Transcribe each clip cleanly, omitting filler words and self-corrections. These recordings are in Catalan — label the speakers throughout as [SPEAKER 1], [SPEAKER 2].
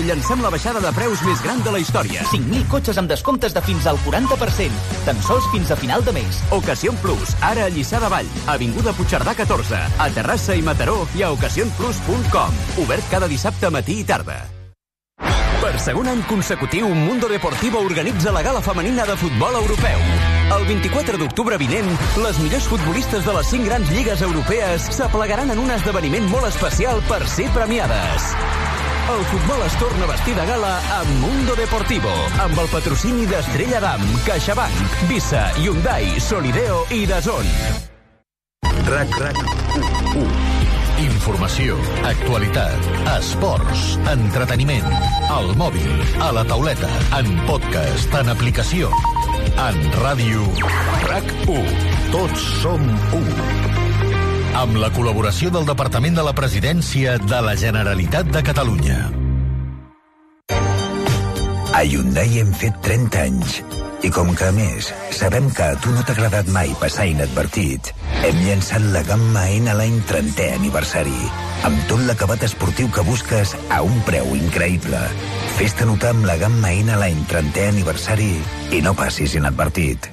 [SPEAKER 1] llancem la baixada de preus més gran de la història.
[SPEAKER 2] 5.000 cotxes amb descomptes de fins al 40%. Tan sols fins a final de mes.
[SPEAKER 1] Ocasión Plus, ara a Lliçà de Vall, Avinguda Puigcerdà 14, a Terrassa i Mataró i a ocasionplus.com. Obert cada dissabte matí i tarda. Per segon any consecutiu, Mundo Deportivo organitza la gala femenina de futbol europeu. El 24 d'octubre vinent, les millors futbolistes de les 5 grans lligues europees s'aplegaran en un esdeveniment molt especial per ser premiades. El futbol es torna a vestir de gala amb Mundo Deportivo, amb el patrocini d'Estrella Damm, CaixaBank, Visa, Hyundai, Solideo i DAZN.
[SPEAKER 3] RAC1. Informació, actualitat, esports, entreteniment, al mòbil, a la tauleta, en podcast, en aplicació, en ràdio. RAC1. Tots som 1. Amb la col·laboració del Departament de la Presidència de la Generalitat de Catalunya.
[SPEAKER 4] A Hyundai hem fet 30 anys. I com que, a més, sabem que a tu no t'ha agradat mai passar inadvertit, hem llançat la gamma N l'any 30è aniversari, amb tot l'acabat esportiu que busques a un preu increïble. Fes-te notar amb la gamma N l'any 30è aniversari i no passis inadvertit.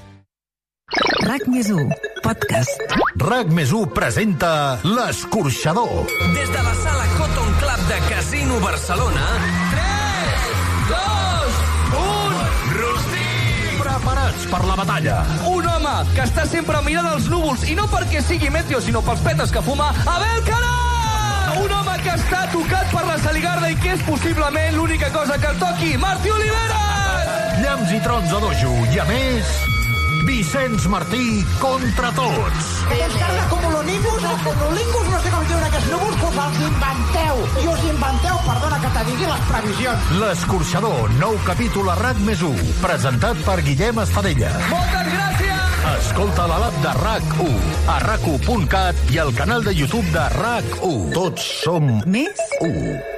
[SPEAKER 5] RAC+1, podcast.
[SPEAKER 3] RAC+1 presenta L'Escorxador.
[SPEAKER 6] Des de la sala Cotton Club de Casino Barcelona, 3, 2, 1, rostit!
[SPEAKER 3] Preparats per la batalla.
[SPEAKER 6] Un home que està sempre mirant els núvols, i no perquè sigui meteo, sinó pels petes que fuma, Abel Carà! Un home que està tocat per la saligarda i que és possiblement l'única cosa que el toqui, Martí Oliveres!
[SPEAKER 3] Llamps i trons a dojo, i a més... Vicenç Martí contra tots.
[SPEAKER 7] Descarga cumuloningus o cumulingus, no sé com diuen aquests núvols, pues els inventeu. I us inventeu, perdona que te digui, les previsions.
[SPEAKER 3] L'Escorxador, nou capítol a RAC+1, presentat per Guillem Estadella.
[SPEAKER 6] Moltes gràcies!
[SPEAKER 3] Escolta a l'app de RAC1, a RAC1.cat i al canal de YouTube de RAC1. Tots som
[SPEAKER 5] Més
[SPEAKER 3] 1.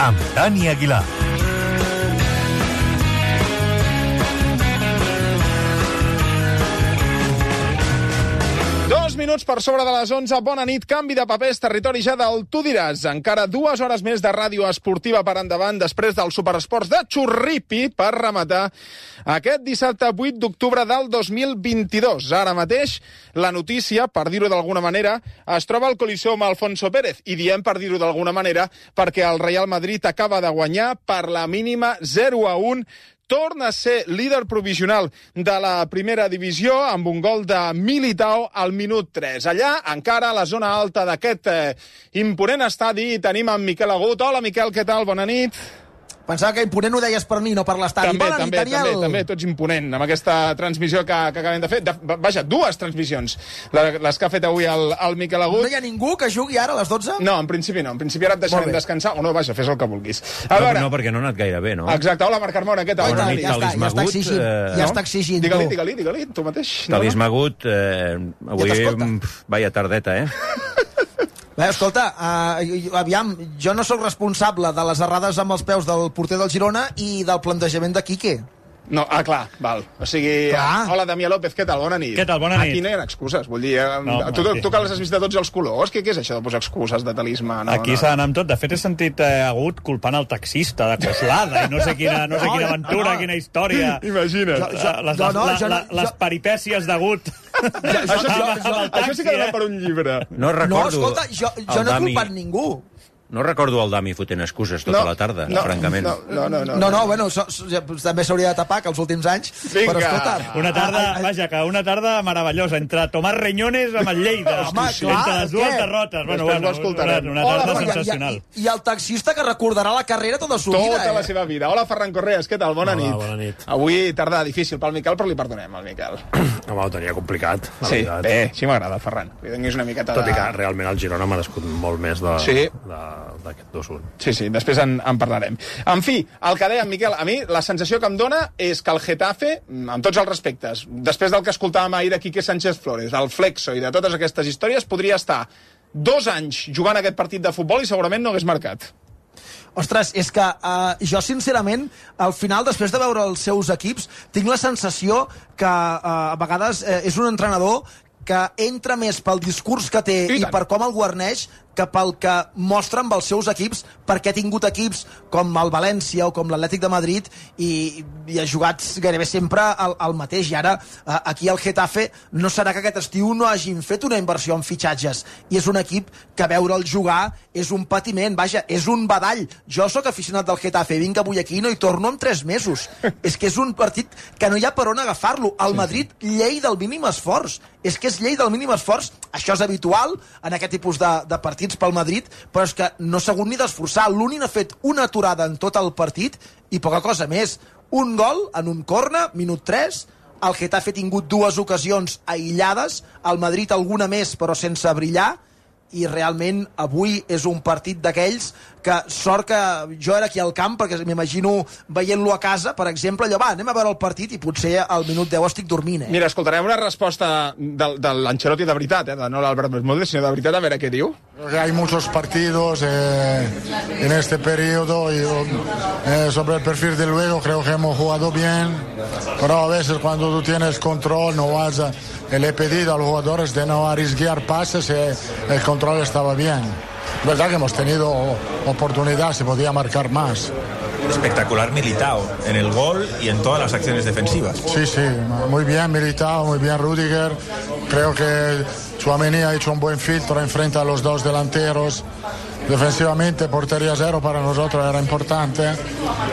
[SPEAKER 3] Amb Dani Aguilar.
[SPEAKER 8] 2 minuts per sobre de les 11. Bona nit, canvi de papers, territori ja del Tu diràs. Encara 2 hores més de ràdio esportiva per endavant després dels superesports de Xurripi per rematar aquest dissabte 8 d'octubre del 2022. Ara mateix la notícia, per dir-ho d'alguna manera, es troba al Coliseum Alfonso Pérez. I diem per dir-ho d'alguna manera perquè el Real Madrid acaba de guanyar per la mínima 0-1. Torna a ser líder provisional de la primera divisió amb un gol de Militao al minut 3. Allà, encara a la zona alta d'aquest imponent estadi, tenim en Miquel Agut. Hola, Miquel, què tal? Bona nit.
[SPEAKER 7] Pensava que imponent ho deies per mi, no per l'estadi.
[SPEAKER 8] També, tots imponent, amb aquesta transmissió que acabem de fer. Vaja, 2 transmissions, les que ha fet avui el Miquel Agut.
[SPEAKER 7] No hi ha ningú que jugui ara a les 12?
[SPEAKER 8] No, en principi no. En principi ara et deixarem descansar. O no, vaja, fes el que vulguis.
[SPEAKER 9] No, perquè no ha anat gaire bé, no?
[SPEAKER 8] Exacte. Hola, Marc Carmona, què tal?
[SPEAKER 7] Ja està exigint.
[SPEAKER 8] Digue-li, tu mateix.
[SPEAKER 9] Talís Magut, avui, vaya tardeta,
[SPEAKER 7] Bé, escolta, aviam, jo no sóc responsable de les errades amb els peus del porter del Girona i del plantejament de Quique.
[SPEAKER 8] No, clar, val. O sigui, hola, Damià López, què tal? Bona nit.
[SPEAKER 9] Què tal? Bona nit.
[SPEAKER 8] Aquí no hi ha excuses, vull dir... Tu que les has vist de tots els colors, què és això de posar excuses de talismà?
[SPEAKER 10] Aquí s'ha d'anar amb tot. De fet, he sentit Agut culpant el taxista de Coslada i no sé quina aventura, quina història.
[SPEAKER 8] Imagina't.
[SPEAKER 10] Les peripècies d'Agut.
[SPEAKER 8] Això sí que dona per un llibre.
[SPEAKER 9] No recordo...
[SPEAKER 7] No, escolta, jo no he culpat ningú.
[SPEAKER 9] No recordo el Dami fotent excuses tota la tarda, francament.
[SPEAKER 7] No, bueno, també s'hauria de tapar que els últims anys, però escolta...
[SPEAKER 10] Una tarda meravellosa, entre Tomàs Reñones amb el Lleida, entre les dues derrotes. Una tarda sensacional.
[SPEAKER 7] I el taxista que recordarà la carrera tota la vida.
[SPEAKER 8] Tota la seva vida. Hola, Ferran Correas, què tal? Bona nit.
[SPEAKER 10] Bona nit.
[SPEAKER 8] Avui tarda difícil pel Miquel, però li perdonem al Miquel.
[SPEAKER 10] Home, ho tenia complicat.
[SPEAKER 8] Sí, bé, així m'agrada, Ferran. Que tinguis una miqueta
[SPEAKER 10] Tot i que realment el Girona ha merescut molt més de
[SPEAKER 11] d'aquest 2-1.
[SPEAKER 8] Sí, després en parlarem. En fi, el que deia Miquel, a mi la sensació que em dona és que el Getafe, amb tots els respectes, després del que escoltàvem ahir de Quique Sánchez Flores, del Flexo i de totes aquestes històries, podria estar 2 anys jugant aquest partit de futbol i segurament no hagués marcat.
[SPEAKER 7] Ostres, és que jo, sincerament, al final, després de veure els seus equips, tinc la sensació que a vegades és un entrenador que entra més pel discurs que té i per com el guarneix que pel que mostra amb els seus equips, perquè ha tingut equips com el València o com l'Atlètic de Madrid i ha jugat gairebé sempre el mateix. I ara, aquí al Getafe, no serà que aquest estiu no hagin fet una inversió en fitxatges. I és un equip que veure'l jugar és un patiment, vaja, és un badall. Jo sóc aficionat del Getafe, vinc avui aquí i no hi torno en 3 mesos. És que és un partit que no hi ha per on agafar-lo. El Madrid, llei del mínim esforç. És que és llei del mínim esforç. Això és habitual en aquest tipus de partits pel Madrid, però és que no s'ha hagut ni d'esforçar. L'Unin ha fet una aturada en tot el partit i poca cosa més. Un gol en un corner, minut 3, el Getafe ha tingut 2 ocasions aïllades, el Madrid alguna més però sense brillar, i realment avui és un partit d'aquells que sort que jo era aquí al camp, perquè m'imagino veient-lo a casa, per exemple, allò, anem a veure el partit i potser al minut 10 estic dormint.
[SPEAKER 8] Mira, escoltarem una resposta de l'Ancelotti de veritat, no l'Albert Bermúdez, sinó de veritat, a veure què diu.
[SPEAKER 12] Hay muchos partidos en este periodo y sobre el perfil de luego creo que hemos jugado bien, pero a veces cuando tú tienes control no vas a... Le he pedido a los jugadores de no arriesgar pases, el control estaba bien. Es verdad que hemos tenido oportunidad, se podía marcar más.
[SPEAKER 13] Espectacular Militao en el gol y en todas las acciones defensivas.
[SPEAKER 12] Sí, muy bien Militao, muy bien Rüdiger. Creo que Tchouaméni ha hecho un buen filtro enfrente a los 2 delanteros. Defensivamente, portería 0 para nosotros era importante.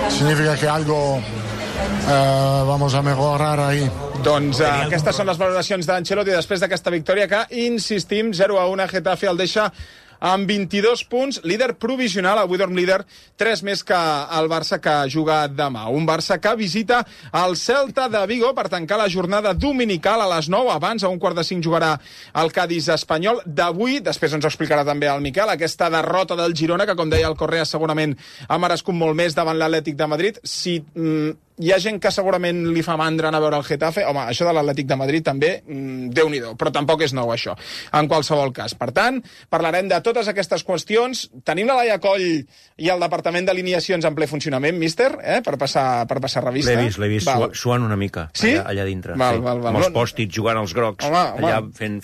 [SPEAKER 12] Significa que algo vamos a mejorar ahí.
[SPEAKER 8] Doncs aquestes són les valoracions d'Ancelotti després d'aquesta victòria que, insistim, 0-1, Getafe el deixa amb 22 punts, líder provisional, avui dorm líder, 3 més que el Barça que juga demà. Un Barça que visita el Celta de Vigo per tancar la jornada dominical a les 9, abans a 4:45 jugarà el Cádiz espanyol. D'avui, després ens ho explicarà també el Miquel, aquesta derrota del Girona, que com deia el Correa segurament ha merescut molt més davant l'Atlètic de Madrid. Si hi ha gent que segurament li fa mandra anar a veure el Getafe, home, això de l'Atlètic de Madrid també, Déu-n'hi-do, però tampoc és nou això, en qualsevol cas. Per tant, parlarem de totes aquestes qüestions. Tenim la Laia Coll i el Departament d'Alineacions en ple funcionament, míster, per passar revista.
[SPEAKER 9] L'he vist suant una mica,
[SPEAKER 8] sí?
[SPEAKER 9] allà dintre.
[SPEAKER 8] Val.
[SPEAKER 9] Amb els pòstits jugant als grocs, allà fent...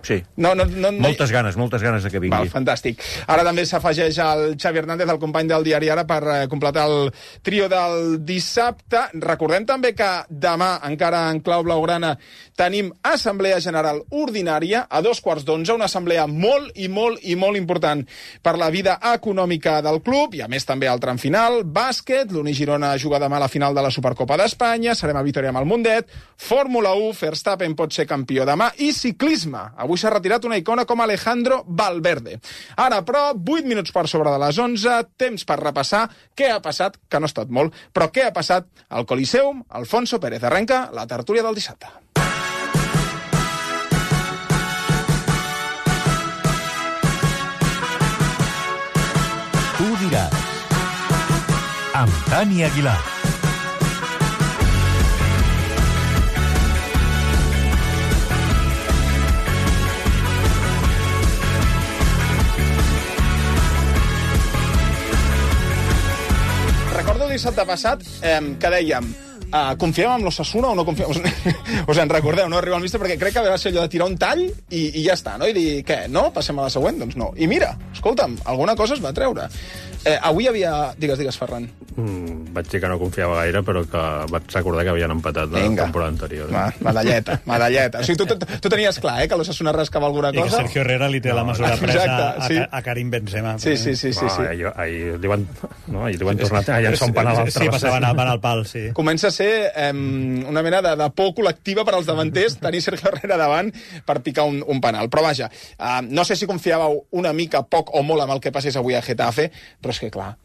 [SPEAKER 9] Sí, moltes ganes de que vingui.
[SPEAKER 8] Val, fantàstic. Ara també s'afegeix el Xavi Hernández, el company del Diari Ara, per completar el trio del dissabte. Recordem també que demà, encara en clau blaugrana, tenim Assemblea General Ordinària a 2:15, una assemblea molt important per la vida econòmica del club, i a més també el tram final, bàsquet, l'Uni Girona juga demà a la final de la Supercopa d'Espanya, serem a Vitoria amb el Mundet, Fórmula 1, Verstappen pot ser campió demà, i ciclisme. Avui s'ha retirat una icona com Alejandro Valverde. Ara, però, 8 minuts per sobre de les 11, temps per repassar què ha passat, que no ha estat molt, però què ha passat al Coliseum. Alfonso Pérez arrenca la tertúlia del dissabte.
[SPEAKER 3] Tu diràs. Amb Dani Aguilar.
[SPEAKER 8] Recordo el dissabte passat que dèiem confiem en l'Osasuna o no confiem? Us en recordeu, no? Arriba al míster, perquè crec que va ser allò de tirar un tall i ja està, no? I dir, què, no? Passem a la següent? Doncs no. I mira, escolta'm, alguna cosa es va treure. Avui hi havia... Digues, Ferran.
[SPEAKER 11] Vaig dir que no confiava gaire, però que vaig recordar que havien empatat la temporada anterior.
[SPEAKER 8] Medalleta. O sigui, tu tenies clar, que l'Osasuna rascava alguna cosa?
[SPEAKER 10] I que Sergio Herrera li té la mesura presa a Karim Benzema.
[SPEAKER 8] Sí.
[SPEAKER 11] Ahir li van tornar a llançar un penal al
[SPEAKER 10] travesser. Sí, passaven al pal, sí.
[SPEAKER 8] Comença a ser una mena de por col·lectiva per als davanters, tenir Sergio Herrera davant per picar un penal. Però vaja, no sé si confiàveu una mica poc o molt amb el que passés avui a Getafe, però és que clar,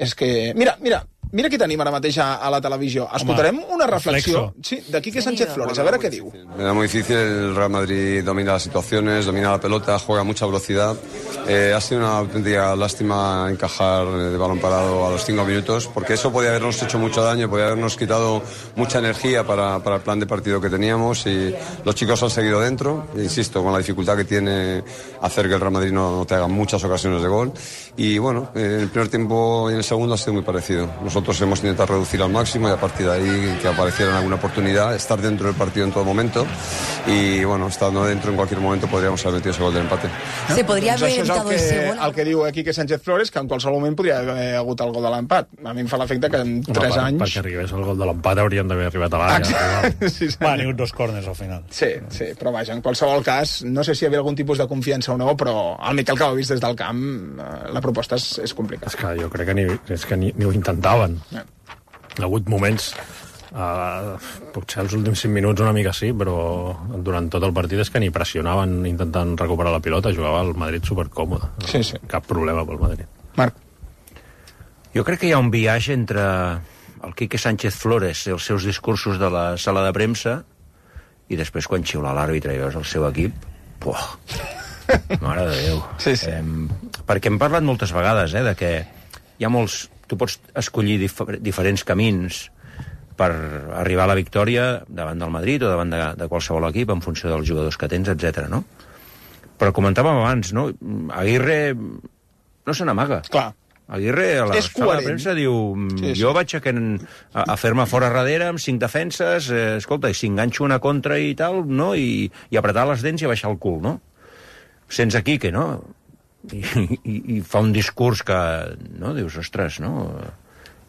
[SPEAKER 8] Mira, Mira qui tenim ara mateix a la televisió. Escoltarem una reflexió de Quique Sánchez Flores, a ver qué digo.
[SPEAKER 14] Era muy difícil, el Real Madrid domina las situaciones, domina la pelota, juega a mucha velocidad. Ha sido una auténtica lástima encajar de balón parado a los 5 minutos, porque eso podía habernos hecho mucho daño, podía habernos quitado mucha energía para el plan de partido que teníamos, y los chicos han seguido dentro, insisto, con la dificultad que tiene hacer que el Real Madrid no te haga muchas ocasiones de gol. Y bueno, en el primer tiempo y en el segundo ha sido muy parecido. Nosotros hemos intentado reducir al máximo y a partir de ahí que apareciera alguna oportunidad, estar dentro del partido en todo momento, y bueno, estando dentro en cualquier momento podríamos haber metido ese gol del empate.
[SPEAKER 15] Se podria haver evitado el segon.
[SPEAKER 8] El que diu Quique Sánchez Flores, que en qualsevol moment podria haver hagut el gol de l'empat. A mi em fa l'efecte que en 3 anys...
[SPEAKER 11] Perquè arribés el gol de l'empat haurien d'haver arribat abans.
[SPEAKER 10] Sí, va, ni 2 córners al final.
[SPEAKER 8] Sí, però vaja, en qualsevol cas, no sé si hi havia algun tipus de confiança o no, però el Miquel, que ho ha vist des del camp, la proposta és complicada.
[SPEAKER 11] És que jo crec que ni ho intentaven. Hi ha hagut moments, potser els últims 5 minuts una mica sí, però durant tot el partit és que ni pressionaven intentant recuperar la pilota, jugava el Madrid supercòmode.
[SPEAKER 8] Sí.
[SPEAKER 11] Cap problema pel Madrid.
[SPEAKER 8] Marc.
[SPEAKER 9] Jo crec que hi ha un viatge entre el Quique Sánchez Flores i els seus discursos de la sala de premsa i després quan xiula l'àrbitre i veus el seu equip, mare de Déu.
[SPEAKER 8] Sí.
[SPEAKER 9] Perquè hem parlat moltes vegades de que hi ha molts... Tu pots escollir diferents camins per arribar a la victòria davant del Madrid o davant de qualsevol equip en funció dels jugadors que tens, etc. no? Però comentàvem abans, no? Aguirre no se n'amaga.
[SPEAKER 8] Clar.
[SPEAKER 9] Aguirre a la sala de premsa diu jo vaig a fer-me fora darrere amb 5 defenses, escolta, i si enganxo una contra i tal, no? I apretar les dents i baixar el cul, no? Sense Quique, no? I fa un discurs que, no? Dius, ostres, no?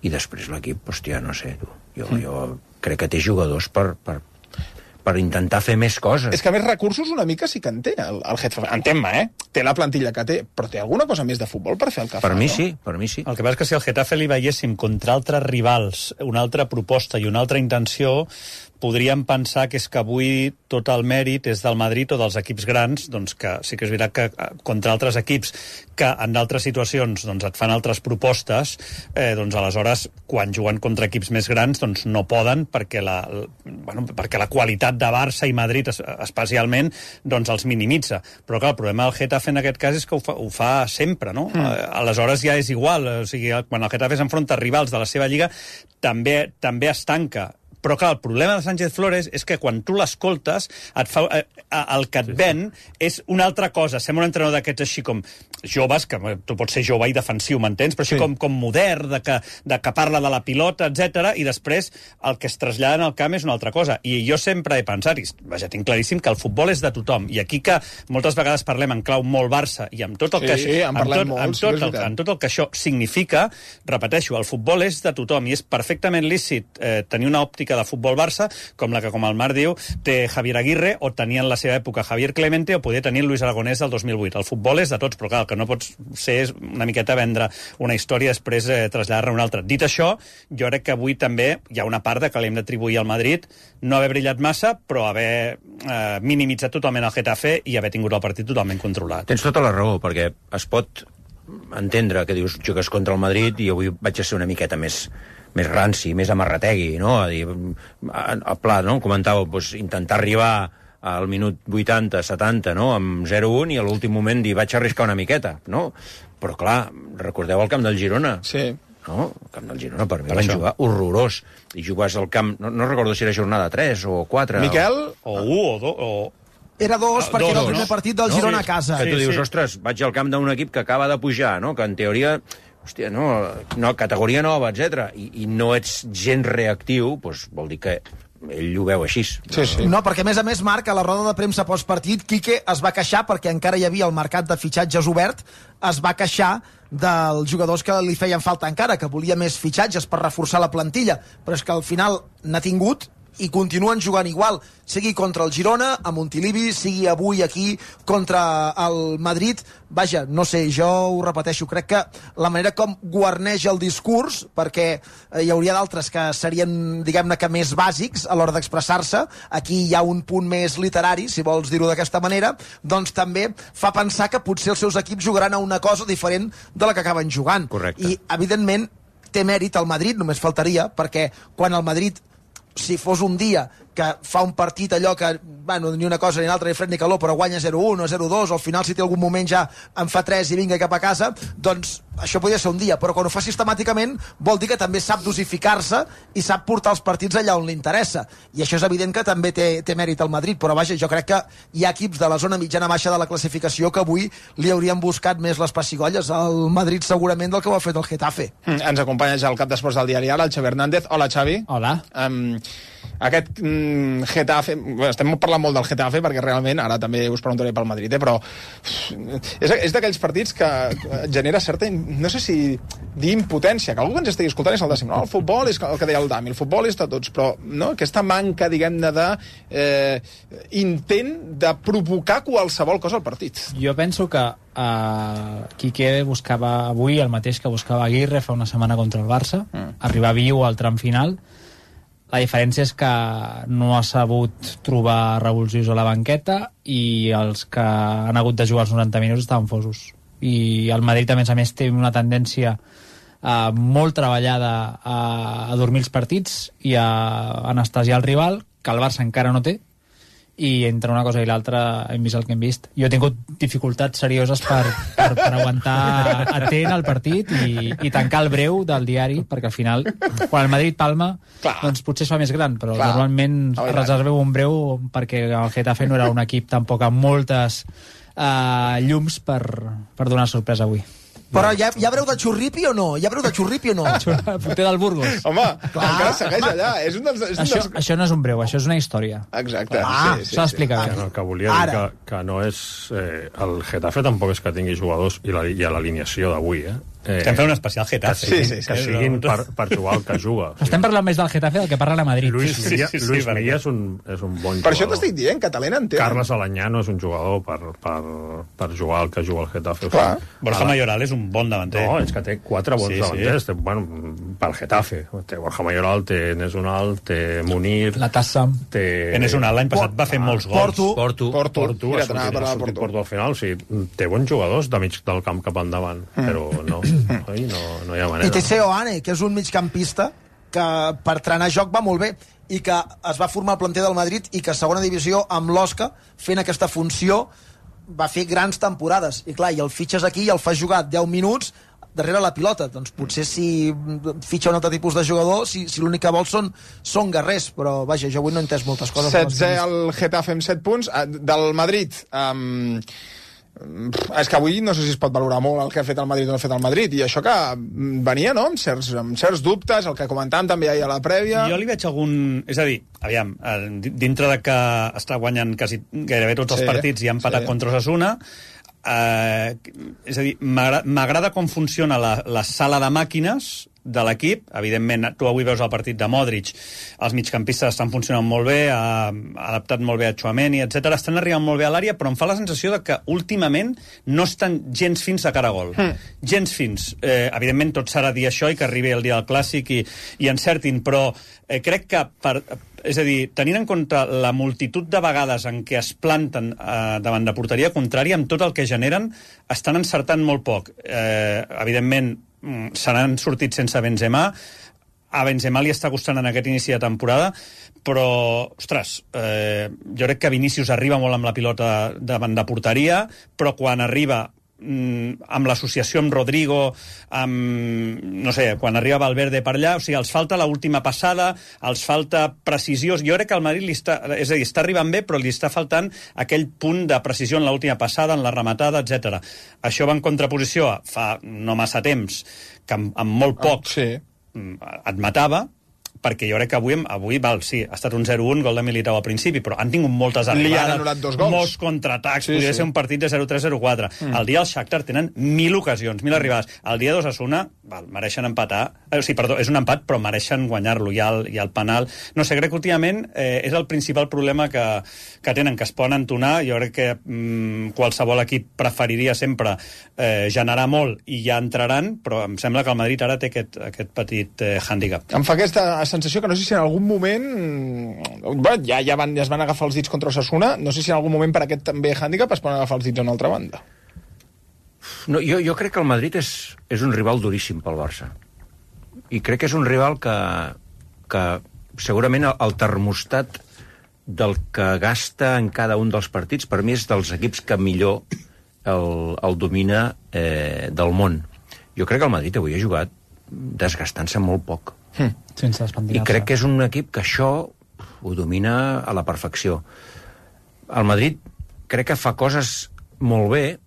[SPEAKER 9] I després l'equip, hòstia, no sé, tu. Jo crec que té jugadors per intentar fer més coses.
[SPEAKER 8] És que a més recursos una mica sí que en té el Getafe. Entén-me, té la plantilla que té, però té alguna cosa més de futbol per fer el que fa,
[SPEAKER 9] per mi
[SPEAKER 8] no?
[SPEAKER 9] Sí, per mi sí.
[SPEAKER 10] El que passa és que si al Getafe li veiéssim contra altres rivals una altra proposta i una altra intenció, podríem pensar que és que avui tot el mèrit és del Madrid o dels equips grans, doncs que sí que és veritat que contra altres equips que en d'altres situacions doncs et fan altres propostes, doncs aleshores quan juguen contra equips més grans doncs no poden perquè la qualitat de Barça i Madrid especialment doncs els minimitza. Però clar, el problema del Getafe en aquest cas és que ho fa sempre, no? Aleshores ja és igual, o sigui, quan el Getafe s'enfronta a rivals de la seva lliga també es tanca. Però clar, el problema de Sánchez Flores és que quan tu l'escoltes, el que et ven és una altra cosa. Sembla un entrenador d'aquests així com joves, que tu pots ser jove i defensiu, m'entens? Però així com modern, de que parla de la pilota, etc. I després el que es trasllada en el camp és una altra cosa. I jo sempre he pensat, i vaja, tinc claríssim que el futbol és de tothom. I aquí que moltes vegades parlem en clau molt Barça i amb tot el que tot el que això significa, repeteixo, el futbol és de tothom i és perfectament lícit tenir una òptica de futbol Barça, com la que, com el Marc diu, té Javier Aguirre, o tenia en la seva època Javier Clemente, o podia tenir Luis Aragonès del 2008. El futbol és de tots, però clar, el que no pots ser és una miqueta vendre una història i després traslladar-ne una altra. Dit això, jo crec que avui també hi ha una part de que li hem d'atribuir al Madrid no haver brillat massa, però haver minimitzat totalment el Getafe i haver tingut el partit totalment controlat.
[SPEAKER 9] Tens tota la raó, perquè es pot entendre que dius jugues contra el Madrid i avui vaig a ser una miqueta més ranci, més amarrategui, no? A dir, a pla, no? Comentàveu, doncs, intentar arribar al minut 80, 70, no? Amb 0-1 i a l'últim moment dir vaig arriscar una miqueta, no? Però clar, recordeu el camp del Girona?
[SPEAKER 8] Sí.
[SPEAKER 9] No? El camp del Girona per mi van jugar horrorós. I jugues al camp, no recordo si era jornada 3 o 4.
[SPEAKER 8] Miquel?
[SPEAKER 10] O 1 o 2 o...
[SPEAKER 7] Era 2 perquè era el primer partit del Girona a casa.
[SPEAKER 9] Que tu dius, ostres, vaig al camp d'un equip que acaba de pujar, no? Que en teoria... Hòstia, no, categoria nova, etc. I no ets gens reactiu, doncs vol dir que ell ho veu així.
[SPEAKER 7] Sí. No, perquè a més, Marc, a la roda de premsa postpartit, Quique es va queixar, perquè encara hi havia el mercat de fitxatges obert, es va queixar dels jugadors que li feien falta encara, que volia més fitxatges per reforçar la plantilla, però és que al final n'ha tingut i continuen jugant igual, sigui contra el Girona, a Montilivi, sigui avui aquí contra el Madrid. Vaja, no sé, jo ho repeteixo, crec que la manera com guarneix el discurs, perquè hi hauria d'altres que serien, diguem-ne que més bàsics a l'hora d'expressar-se, aquí hi ha un punt més literari, si vols dir-ho d'aquesta manera, doncs també fa pensar que potser els seus equips jugaran a una cosa diferent de la que acaben jugant.
[SPEAKER 9] Correcte.
[SPEAKER 7] I, evidentment, té mèrit el Madrid, només faltaria, perquè quan el Madrid, si fos un dia que fa un partit allò que, bueno, ni una cosa ni l'altra, ni fred ni calor, però guanya 0-1 o 0-2, o al final si té algun moment ja en fa 3 i vinga cap a casa, doncs això podria ser un dia, però quan ho fa sistemàticament vol dir que també sap dosificar-se i sap portar els partits allà on li interessa, i això és evident que també té mèrit al Madrid, però vaja, jo crec que hi ha equips de la zona mitjana-baixa de la classificació que avui li haurien buscat més les pessigolles al Madrid segurament del que ho ha fet el Getafe.
[SPEAKER 8] Ens acompanya ja el cap d'esports del diari Ara, el Xavi Hernández. Hola, Xavi.
[SPEAKER 16] Hola.
[SPEAKER 8] Aquest Getafe, estem parlant molt del Getafe perquè realment, ara també us preguntaré pel Madrid, però és d'aquells partits que genera certa, no sé si dir impotència, que algú que ens estigui escoltant és el dècim, no? El futbol és el que deia el Dami, el futbol és de tots, però no? Aquesta manca, diguem-ne, d'intent de provocar qualsevol cosa al partit.
[SPEAKER 16] Jo penso que Quique buscava avui el mateix que buscava Aguirre fa una setmana contra el Barça, arribar viu al tram final. La diferència és que no ha sabut trobar revulsius a la banqueta i els que han hagut de jugar els 90 minuts estaven fosos. I el Madrid, a més, té una tendència molt treballada a dormir els partits i a anestesiar el rival, que el Barça encara no té, i entre una cosa i l'altra hem vist el que hem vist. Jo he tingut dificultats serioses per aguantar atent al partit i tancar el breu del diari, perquè al final, quan el Madrid palma, doncs potser es fa més gran, però normalment reserveu un breu perquè el Getafe no era un equip tampoc amb moltes llums per donar sorpresa avui.
[SPEAKER 7] Però hi ha breu de xurripi o no? Hi ha breu de xurripi o no?
[SPEAKER 16] Porter del Burgos.
[SPEAKER 8] Home, encara segueix allà.
[SPEAKER 16] Això no és un breu, això és una història.
[SPEAKER 8] Exacte.
[SPEAKER 16] S'ha d'explicar bé.
[SPEAKER 11] Que volia dir que no és... el Getafe tampoc és que tingui jugadors i a l'alineació d'avui,
[SPEAKER 10] Estem fent un especial Getafe.
[SPEAKER 11] Que siguin per jugar el que juga.
[SPEAKER 16] Estem parlant més del Getafe del que parla la Madrid.
[SPEAKER 11] Luis Milla és un bon jugador.
[SPEAKER 8] Per això t'estic dient, que talent en té.
[SPEAKER 11] Carles Alanyà no és un jugador per jugar el que juga el Getafe.
[SPEAKER 10] Borja Mayoral és un bon davanter.
[SPEAKER 11] No, és que té 4 bons davanters. Bueno, pel Getafe. Té Borja Mayoral, té Enes Unal, té Munir...
[SPEAKER 16] La Tassa.
[SPEAKER 11] Enes
[SPEAKER 10] Unal l'any passat va fer molts gols.
[SPEAKER 11] Porto. Porto al final. Té bons jugadors de mig del camp cap endavant, però no hi ha manera.
[SPEAKER 7] I té Seoane, que és un migcampista que per trenar joc va molt bé i que es va formar al planter del Madrid i que a segona divisió amb l'Osca, fent aquesta funció, va fer grans temporades. I clar, i el fitxes aquí i el fas jugar 10 minuts darrere la pilota. Doncs potser si fitxa un altre tipus de jugador, si l'únic que vol són guerrers, però vaja, jo avui no he entès moltes coses.
[SPEAKER 8] 16 al Getafe amb 7 punts. Del Madrid... és que avui no sé si es pot valorar molt el que ha fet el Madrid o no ha fet el Madrid, i això que venia, no?, amb certs dubtes, el que comentàvem també ahir a la prèvia.
[SPEAKER 10] Jo li veig algun... És a dir, aviam, dintre de que està guanyant gairebé tots els partits i ha empatat contra Osasuna, és a dir, m'agrada com funciona la sala de màquines de l'equip. Evidentment, tu avui veus el partit de Modric, els migcampistes estan funcionant molt bé, ha adaptat molt bé a Tchouaméni, etc. Estan arribant molt bé a l'àrea, però em fa la sensació de que últimament no estan gens fins de cara a gol. Gens fins. Evidentment, tot s'ha de dir això i que arribi el dia del Clàssic i encertin, però crec que és a dir, tenint en compte la multitud de vegades en què es planten davant de porteria contrària, amb tot el que generen, estan encertant molt poc. Evidentment, se n'han sortit sense Benzema. A Benzema li està costant en aquest inici de temporada, però, ostres, jo crec que Vinícius arriba molt amb la pilota davant de porteria, però quan arriba amb l'associació amb Rodrigo, no sé, quan arriba Valverde per allà, o sigui, els falta l'última passada, els falta precisió. Jo crec que el Madrid està arribant bé, però li està faltant aquell punt de precisió en l'última passada, en la rematada, etc. Això va en contraposició a fa no massa temps, que amb molt poc et matava, perquè jo crec que avui sí, ha estat un 0-1, gol de Militao al principi, però han tingut moltes arribades,
[SPEAKER 8] li han anul·lat 2 gols,
[SPEAKER 10] molts contraatacs, podria ser un partit de 0-3-0-4. El dia del Shakhtar tenen 1.000 ocasions, 1.000 arribades. El dia d'Osasuna, mereixen empatar, és un empat, però mereixen guanyar-lo, i el penal. No sé, crec que últimament és el principal problema que tenen, que es poden entonar. Jo crec que qualsevol equip preferiria sempre generar molt i ja entraran, però em sembla que el Madrid ara té aquest petit hàndicap.
[SPEAKER 8] Em fa aquesta sensació que no sé si en algun moment ja es van agafar els dits contra Osasuna, no sé si en algun moment per aquest també hàndicap es poden agafar els dits a una altra banda.
[SPEAKER 9] No, jo crec que el Madrid és un rival duríssim pel Barça. I crec que és un rival que segurament el termostat del que gasta en cada un dels partits, per mi és dels equips que millor el domina del món. Jo crec que el Madrid avui ha jugat desgastant-se molt poc.
[SPEAKER 16] Sense espantinar-se.
[SPEAKER 9] I crec que és un equip que això ho domina a la perfecció. El Madrid crec que fa coses molt bé.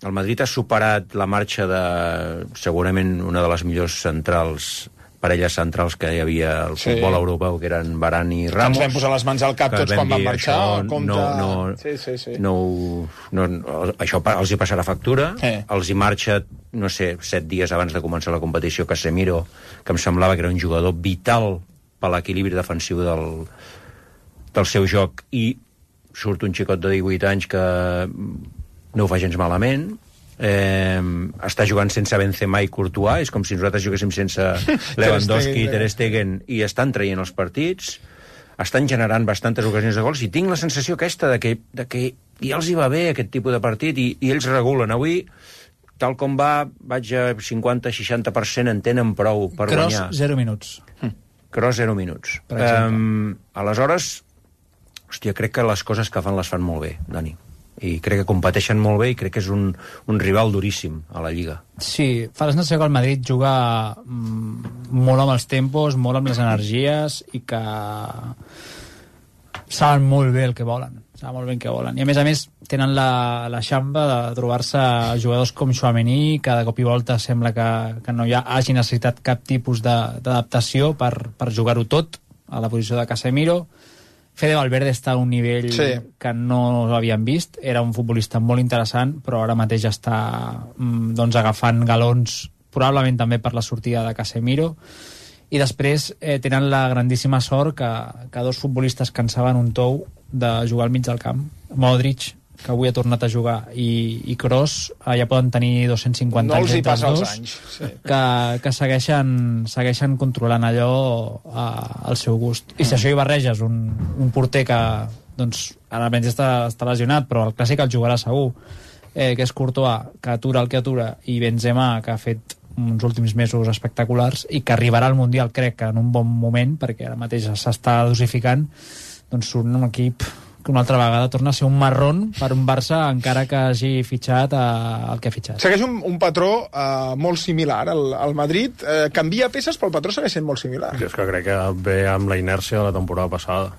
[SPEAKER 9] El Madrid ha superat la marxa de segurament una de les millors parelles centrals que hi havia al futbol europeu, que eren Varane i Ramos.
[SPEAKER 8] Ens vam posar les mans al cap tots quan van marxar.
[SPEAKER 9] Això els hi passarà factura. Els hi marxa, no sé, 7 dies abans de començar la competició, Casemiro, que em semblava que era un jugador vital per l'equilibri defensiu del seu joc, i surt un xicot de 18 anys que no ho fa gens malament. Està jugant sense Benzema i Courtois, és com si nosaltres juguéssim sense Lewandowski i Ter Stegen, i estan traient els partits, estan generant bastantes ocasions de gols, i tinc la sensació aquesta de que ja els hi va bé aquest tipus de partit, i ells regulen. Avui, tal com vaig a 50-60%, en tenen prou per guanyar.
[SPEAKER 16] Kroos, 0 minuts.
[SPEAKER 9] Kroos, 0 minuts. Aleshores, hòstia, crec que les coses que fan les fan molt bé, Dani. I crec que competeixen molt bé, i crec que és un rival duríssim a la Lliga.
[SPEAKER 16] Sí, fa la sensació que el Madrid juga molt amb els tempos, molt amb les energies, i que saben molt bé el que volen. Saben molt bé el que volen. I a més tenen la xamba de trobar-se jugadors com Tchouaméni, que de cop i volta sembla que no hagi necessitat cap tipus d'adaptació per jugar-ho tot a la posició de Casemiro. Fede Valverde està a un nivell que no l'havíem vist. Era un futbolista molt interessant, però ara mateix està agafant galons, probablement també per la sortida de Casemiro. I després tenen la grandíssima sort que dos futbolistes que en saben un tou de jugar al mig del camp. Modric, que avui ha tornat a jugar, i Kroos, ja poden tenir 250 anys.
[SPEAKER 8] No els hi passa els anys.
[SPEAKER 16] Que segueixen controlant allò al seu gust. I si això hi barreges un porter que ara almenys està lesionat, però el clàssic el jugarà segur, que és Courtois, que atura el que atura, i Benzema, que ha fet uns últims mesos espectaculars, i que arribarà al Mundial, crec que en un bon moment, perquè ara mateix s'està dosificant, doncs surt un equip que una altra vegada torna a ser un marrón per un Barça, encara que hagi fitxat el que ha fitxat.
[SPEAKER 8] Segueix un patró molt similar al Madrid. Canvia peces, però el patró segueix sent molt similar.
[SPEAKER 11] És que crec que ve amb la inèrcia de la temporada passada.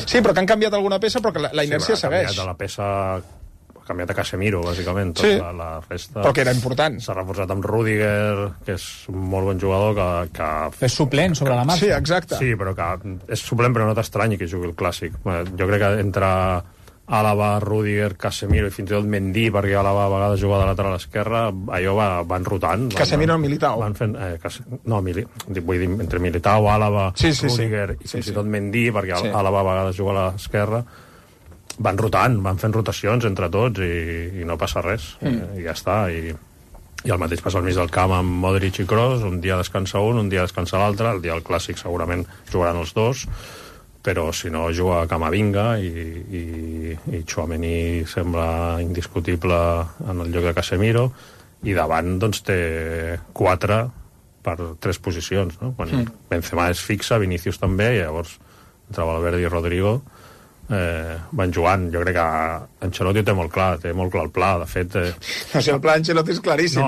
[SPEAKER 8] Sí, però que han canviat alguna peça, però que la inèrcia segueix.
[SPEAKER 11] Ha canviat la peça... Ha canviat a Casemiro, bàsicament. La resta...
[SPEAKER 8] Però que era important.
[SPEAKER 11] S'ha reforçat amb Rüdiger, que és un molt bon jugador, que...
[SPEAKER 16] És suplent sobre la marxa.
[SPEAKER 8] Sí, exacte.
[SPEAKER 11] Sí, però que és suplent, però no t'estranyi que jugui el clàssic. Jo crec que entre Àlava, Rüdiger, Casemiro i fins i tot Mendy, perquè Àlava a vegades juga de lateral esquerra, allò van rotant.
[SPEAKER 8] Casemiro o Militao?
[SPEAKER 11] Vull dir, entre Militao, Àlava, Rüdiger i fins i tot Mendy, perquè Àlava a vegades juga a l'esquerra, van rotant, van fent rotacions entre tots, i no passa res. I ja està. I el mateix passa al mig del camp amb Modric i Kroos. Un dia descansa un dia descansa l'altre. El dia del clàssic segurament jugaran els dos, però si no juga Camavinga, i Tchouaméni sembla indiscutible en el lloc de Casemiro, i davant doncs té 4 per 3 posicions, no? Quan Benzema és fixa, Vinícius també, i llavors entre Valverde i Rodrigo van jugant. Jo crec que Ancelotti ho té molt clar el pla, de fet...
[SPEAKER 8] el pla Ancelotti és claríssim.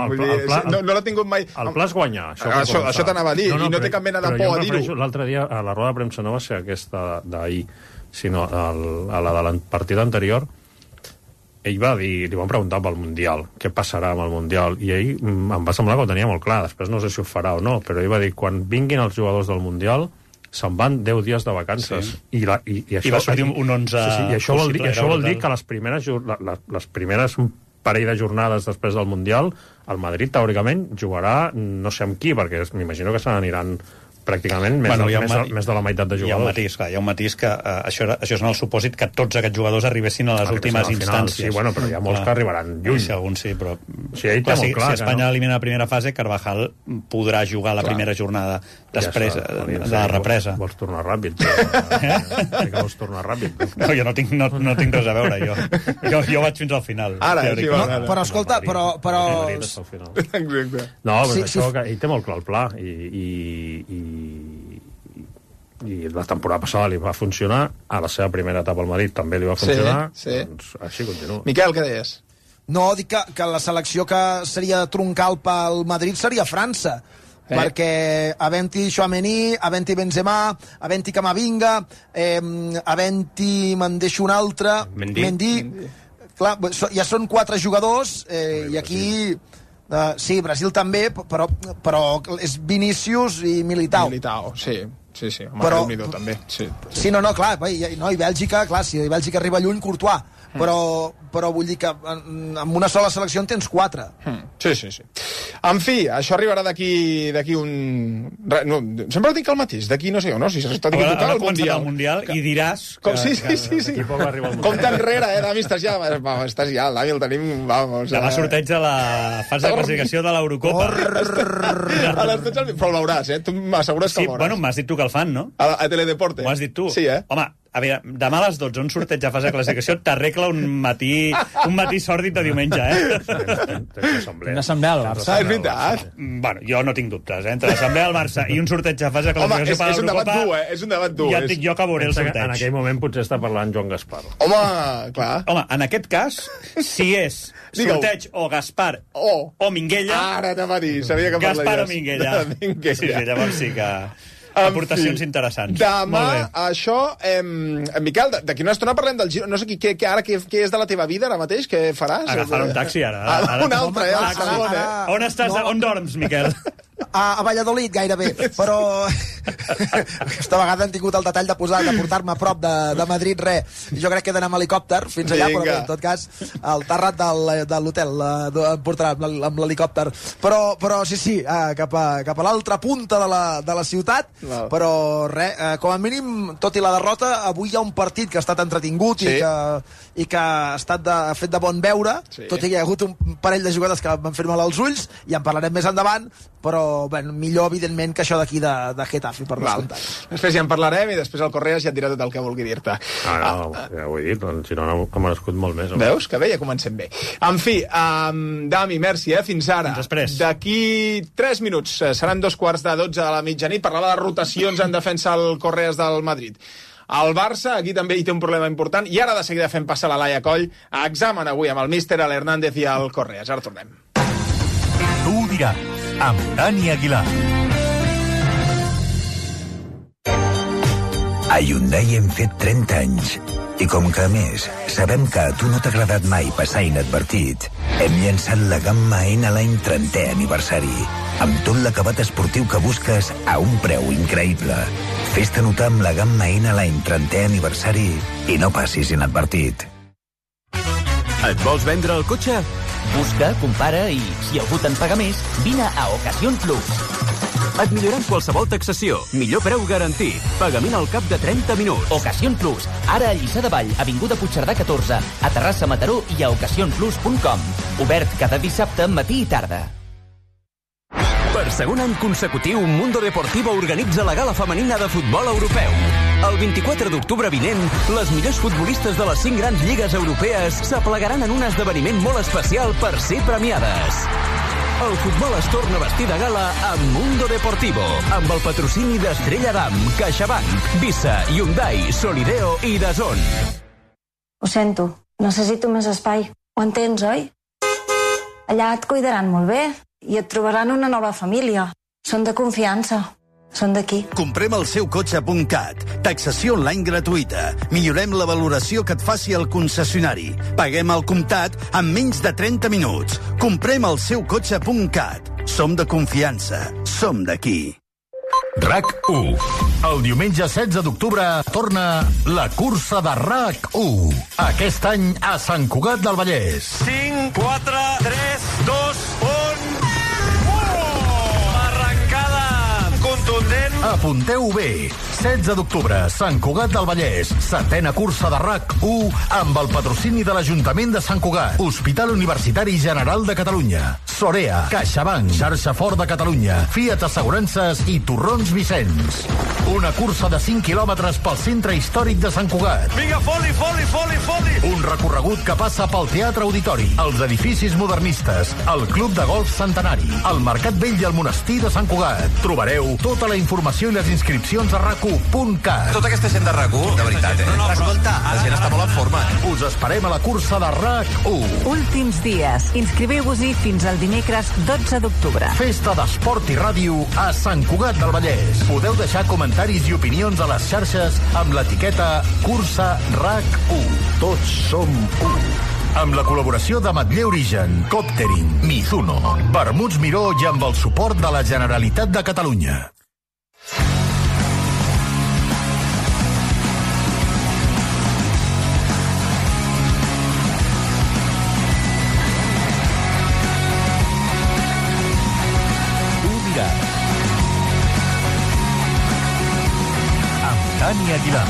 [SPEAKER 8] No l'ha tingut mai...
[SPEAKER 11] El pla és guanyar.
[SPEAKER 8] Això t'anava a dir, i no té cap mena de por a dir-ho.
[SPEAKER 11] L'altre dia, a la roda de premsa, no va ser aquesta d'ahir, sinó a la de la partida anterior, ell va dir, li van preguntar pel Mundial, què passarà amb el Mundial, i ell em va semblar que ho tenia molt clar. Després no sé si ho farà o no, però ell va dir, quan vinguin els jugadors del Mundial, se'n van 10 dies de vacances. I això,
[SPEAKER 10] va sortir un 11...
[SPEAKER 11] I això vol dir que les primeres parell de jornades després del Mundial, el Madrid, teòricament, jugarà no sé amb qui, perquè m'imagino que se n'aniran pràcticament més de la meitat de jugadors.
[SPEAKER 10] Hi ha un matís que això és en el supòsit que tots aquests jugadors arribessin a les últimes instàncies.
[SPEAKER 11] Sí, bueno, però hi ha molts que arribaran lluny.
[SPEAKER 10] Sí, alguns sí, però...
[SPEAKER 11] Si
[SPEAKER 10] Espanya elimina la primera fase, Carvajal podrà jugar la primera jornada després de la represa.
[SPEAKER 11] Vols tornar ràpid. Sí que vols tornar ràpid.
[SPEAKER 10] No, jo no tinc res a veure, jo vaig fins al final.
[SPEAKER 7] Però escolta, però...
[SPEAKER 11] No, però això que ell té molt clar el pla i la temporada passada li va funcionar, a la seva primera etapa al Madrid també li va funcionar, doncs així continua.
[SPEAKER 6] Miquel, què deies?
[SPEAKER 7] No, dic que la selecció que seria troncal pel Madrid seria França, perquè havent-hi Tchouaméni, havent-hi Benzema, havent-hi Camavinga, havent-hi, me'n deixo un altre, Mendy. Clar, ja són 4 jugadors, i aquí... sí, Brasil també, però és Vinícius i Militao.
[SPEAKER 6] Sí, però també.
[SPEAKER 7] Sí, no, clar, i Bèlgica, clar, si Bèlgica arriba lluny, Courtois, però vull dir que amb una sola selecció en tens 4.
[SPEAKER 6] Sí. En fi, això arribarà d'aquí un... No, sempre dic el mateix, d'aquí no sé on, no? Si s'està dient tocar el
[SPEAKER 10] Mundial i diràs...
[SPEAKER 6] Sí. Com t'enrere, Dami, estàs ja... El Dami el tenim...
[SPEAKER 10] Demà sorteig de la fase de classificació de l'Eurocopa.
[SPEAKER 6] Però el veuràs, tu m'assegures que el veuràs.
[SPEAKER 10] Bueno, m'has dit tu que el fan, no?
[SPEAKER 6] A Teledeporte.
[SPEAKER 10] M'ho has dit tu.
[SPEAKER 6] Sí,
[SPEAKER 10] Home, a veure, demà a les 12, un sorteig de fase de classificació t'arregla un matí sòrdid de diumenge,
[SPEAKER 16] Una assemblea al Barça.
[SPEAKER 6] És veritat.
[SPEAKER 10] Bueno, jo no tinc dubtes, Entre l'assemblea al Barça i un sorteig de fase de classificació per l'Eurocopa...
[SPEAKER 6] És un debat dur,
[SPEAKER 10] Ja et dic jo que veuré el sorteig.
[SPEAKER 11] En aquell moment potser està parlant Joan Gaspar.
[SPEAKER 6] Home, clar.
[SPEAKER 10] Home, en aquest cas, si és sorteig o Gaspar o Minguella...
[SPEAKER 6] Ara t'ha dit, sabia que parlaries.
[SPEAKER 10] Gaspar o Minguella. Sí, llavors sí que... aportacions interessants.
[SPEAKER 6] Demà, això... Miquel, d'aquí una estona parlem del Giro. No sé què és de la teva vida ara mateix, què faràs?
[SPEAKER 10] Agafar un taxi, ara.
[SPEAKER 6] Un altre, el segon,
[SPEAKER 10] On estàs? On dorms, Miquel?
[SPEAKER 7] A Valladolid, gairebé, però aquesta vegada han tingut el detall de portar-me a prop de Madrid, jo crec que he d'anar amb helicòpter fins allà, però en tot cas el terrat de l'hotel em portarà amb l'helicòpter, però sí, cap a l'altra punta de la ciutat, però com a mínim, tot i la derrota, avui hi ha un partit que ha estat entretingut i que ha estat fet de bon veure, tot i que hi ha hagut un parell de jugades que m'han fet mal als ulls, i en parlarem més endavant, però millor, evidentment, que això d'aquí de Getafe, per descomptat.
[SPEAKER 6] Després ja en parlarem i després el Correas ja et dirà tot el que vulgui dir-te.
[SPEAKER 11] No, ja ho he dit, el Girona ha merescut molt més.
[SPEAKER 6] Veus? Que bé, ja comencem bé. En fi, Dami, merci, fins ara.
[SPEAKER 10] Després.
[SPEAKER 6] D'aquí 3 minuts, seran 2:15 de la mitjanit, parlava de rotacions en defensa al Correas del Madrid. El Barça, aquí també hi té un problema important, i ara de seguida fem passar la Laia Coll a examen avui amb el míster, l'Hernández i el Correas. Ara tornem.
[SPEAKER 3] Tu ho diràs, amb Dani Aguilar.
[SPEAKER 4] A Hyundai hem fet 30 anys. I com que, a més, sabem que a tu no t'ha agradat mai passar inadvertit, hem llançat la gamma N a l'any 30è aniversari, amb tot l'acabat esportiu que busques a un preu increïble. Fes-te notar amb la gamma N a l'any 30è aniversari i no passis inadvertit.
[SPEAKER 1] Et vols vendre el cotxe?
[SPEAKER 2] Busca, compara i, si algú te'n paga més, vine a Ocasión Plus.
[SPEAKER 1] Et millorem qualsevol taxació. Millor preu garantit. Pagament al cap de 30 minuts.
[SPEAKER 2] Ocasión Plus. Ara a Lliçà de Vall, avinguda Puigcerdà 14, a Terrassa, Mataró i a ocasionplus.com. Obert cada dissabte, matí i tarda.
[SPEAKER 1] Per segon any consecutiu, Mundo Deportivo organitza la gala femenina de futbol europeu. El 24 d'octubre vinent, les millors futbolistes de les 5 grans lligues europees s'aplegaran en un esdeveniment molt especial per ser premiades. El futbol es torna a vestir de gala amb Mundo Deportivo, amb el patrocini d'Estrella Damm, CaixaBank, Visa, Hyundai, Solideo i DAZN.
[SPEAKER 17] Ho sento, necessito més espai. Ho entens, oi? Allà et cuidaran molt bé i et trobaran una nova família. Són de confiança. Són d'aquí.
[SPEAKER 18] Comprem el seu cotxe.cat. Taxació online gratuïta. Millorem la valoració que et faci el concessionari. Paguem al comptat en menys de 30 minuts. Comprem el seu cotxe.cat. Som de confiança. Som d'aquí.
[SPEAKER 3] RAC1. El diumenge 16 d'octubre torna la cursa de RAC1. Aquest any a Sant Cugat del Vallès.
[SPEAKER 19] 5, 4, 3, 2, 1... Arrencada contundent.
[SPEAKER 3] Apunteu bé. 16 d'octubre, Sant Cugat del Vallès. 7ª cursa de RAC1 amb el patrocini de l'Ajuntament de Sant Cugat. Hospital Universitari General de Catalunya. Sorea, CaixaBank, Xarxa Fort de Catalunya, Fiat Assegurances i Torrons Vicenç. Una cursa de 5 quilòmetres pel centre històric de Sant Cugat.
[SPEAKER 19] Vinga, foli!
[SPEAKER 3] Un recorregut que passa pel Teatre Auditori, els edificis modernistes, el Club de Golf Centenari, el Mercat Vell i el Monestir de Sant Cugat. Trobareu tota la informació i les inscripcions a rac1.cat.
[SPEAKER 20] Tota aquesta gent de RAC1, de veritat, Escolta, la gent està molt en forma.
[SPEAKER 3] Us esperem a la cursa de RAC1.
[SPEAKER 5] Últims dies. Inscriveu-vos-hi fins al dimecres 12 d'octubre.
[SPEAKER 3] Festa d'esport i ràdio a Sant Cugat del Vallès. Podeu deixar comentaris i opinions a les xarxes amb l'etiqueta Cursa RAC1. Tots som u. Amb la col·laboració de Matller Origen, Coptering, Mizuno, Vermuts Miró i amb el suport de la Generalitat de Catalunya.
[SPEAKER 1] Dani Aguilar.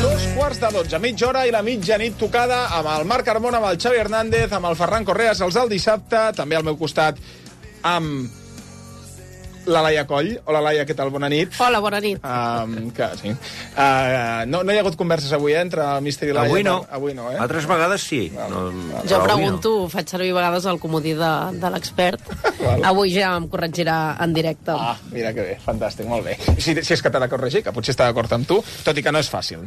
[SPEAKER 8] 2:45, mitja hora i la mitjanit tocada amb el Marc Carmona, amb el Xavi Hernández, amb el Ferran Correas, els del dissabte, també al meu costat amb la Laia Coll. Hola, Laia, què tal? Bona nit.
[SPEAKER 21] Hola, bona nit.
[SPEAKER 8] Sí. No hi ha hagut converses avui, entre el Míster i Laia?
[SPEAKER 9] Avui no.
[SPEAKER 8] eh?
[SPEAKER 9] Altres vegades sí.
[SPEAKER 21] Jo pregunto, faig servir a vegades el comodí de l'expert. Avui ja em corregirà en directe.
[SPEAKER 8] Mira que bé, fantàstic, molt bé. Si és que t'ha de corregir, que potser està d'acord amb tu, tot i que no és fàcil.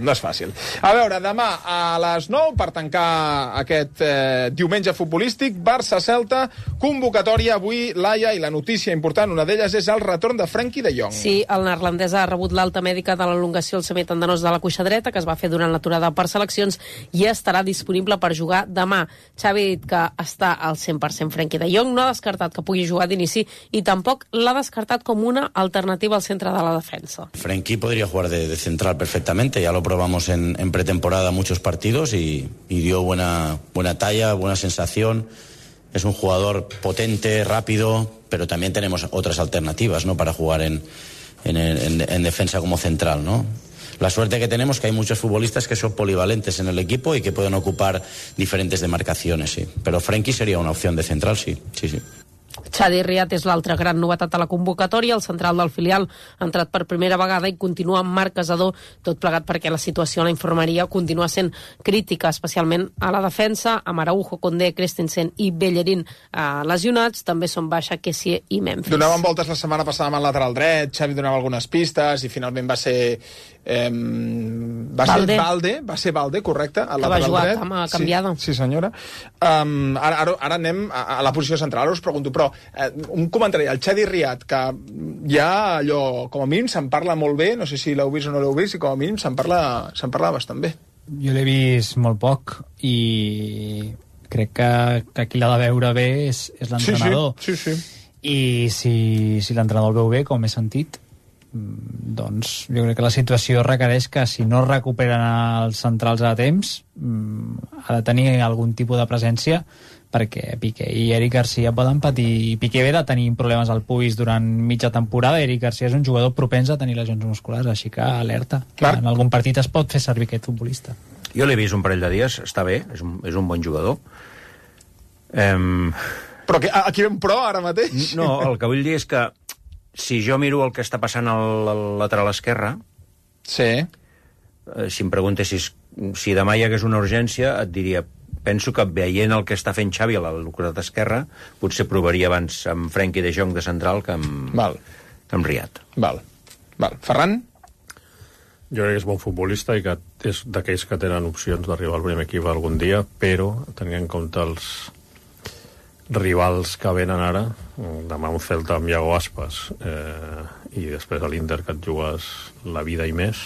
[SPEAKER 8] A veure, demà a les 9, per tancar aquest diumenge futbolístic, Barça-Celta, convocatòria avui, Laia, i la notícia important, una d'elles és el retorn de Frenkie de Jong.
[SPEAKER 21] Sí, el neerlandès ha rebut l'alta mèdica de l'elongació al semitendinós de la cuixa dreta, que es va fer durant l'aturada per seleccions, i estarà disponible per jugar demà. Xavi ha dit que està al 100% Frenkie de Jong, no ha descartat que pugui jugar d'inici i tampoc l'ha descartat com una alternativa al centre de la defensa.
[SPEAKER 22] Frenkie podría jugar de central perfectamente, ya lo probamos en pretemporada muchos partidos y dio buena talla, buena sensación. Es un jugador potente, rápido, pero también tenemos otras alternativas, ¿no?, para jugar en defensa como central, ¿no? La suerte que tenemos es que hay muchos futbolistas que son polivalentes en el equipo y que pueden ocupar diferentes demarcaciones, sí. Pero Frenkie sería una opción de central, sí.
[SPEAKER 21] Chadi Riad és l'altra gran novetat a la convocatòria. El central del filial ha entrat per primera vegada i continua amb Marc Casador, tot plegat perquè la situació a la infermeria continua sent crítica, especialment a la defensa, amb Araujo, Condé, Christensen i Bellerín lesionats. També són baixa Kessie i Memphis.
[SPEAKER 8] Donaven voltes la setmana passada amb el lateral dret, Xavi donava algunes pistes i finalment va ser Valde, correcte, al lateral dret.
[SPEAKER 21] Que va jugar cama canviada.
[SPEAKER 8] Sí, senyora. Ara anem a la posició central. Ara us pregunto, però un comentari, el Chadi Riad, que ja allò, com a mínim se'n parla molt bé, no sé si l'heu vist o no l'heu vist, i com a mínim se'n parla bastant bé.
[SPEAKER 16] Jo l'he vist molt poc i crec que qui l'ha de veure bé és l'entrenador.
[SPEAKER 8] Sí.
[SPEAKER 16] I si l'entrenador el veu bé, com he sentit, doncs jo crec que la situació requereix que si no recuperen els centrals a temps ha de tenir algun tipus de presència, perquè Piqué i Eric Garcia poden patir. Piqué ve de tenir problemes al pubis durant mitja temporada, Eric Garcia és un jugador propens a tenir lesions musculars, així que alerta, que en algun partit es pot fer servir aquest futbolista.
[SPEAKER 9] Jo l'he vist un parell de dies, està bé, és un bon jugador.
[SPEAKER 8] Però aquí ve un pro ara mateix?
[SPEAKER 9] No, el que vull dir és que si jo miro el que està passant al lateral esquerre,
[SPEAKER 8] si
[SPEAKER 9] em preguntessis si demà hi hagués una urgència, et diria, penso que veient el que està fent Xavi a la costat esquerra, potser provaria abans amb Frenkie de Jong de central que amb Riad.
[SPEAKER 8] Val. Ferran?
[SPEAKER 11] Jo crec que és bon futbolista i que és d'aquells que tenen opcions d'arribar al primer equip algun dia, però tenint en compte els rivals que venen ara, demà un Celta amb Iago Aspas i després a l'Inter que et jugues la vida i més,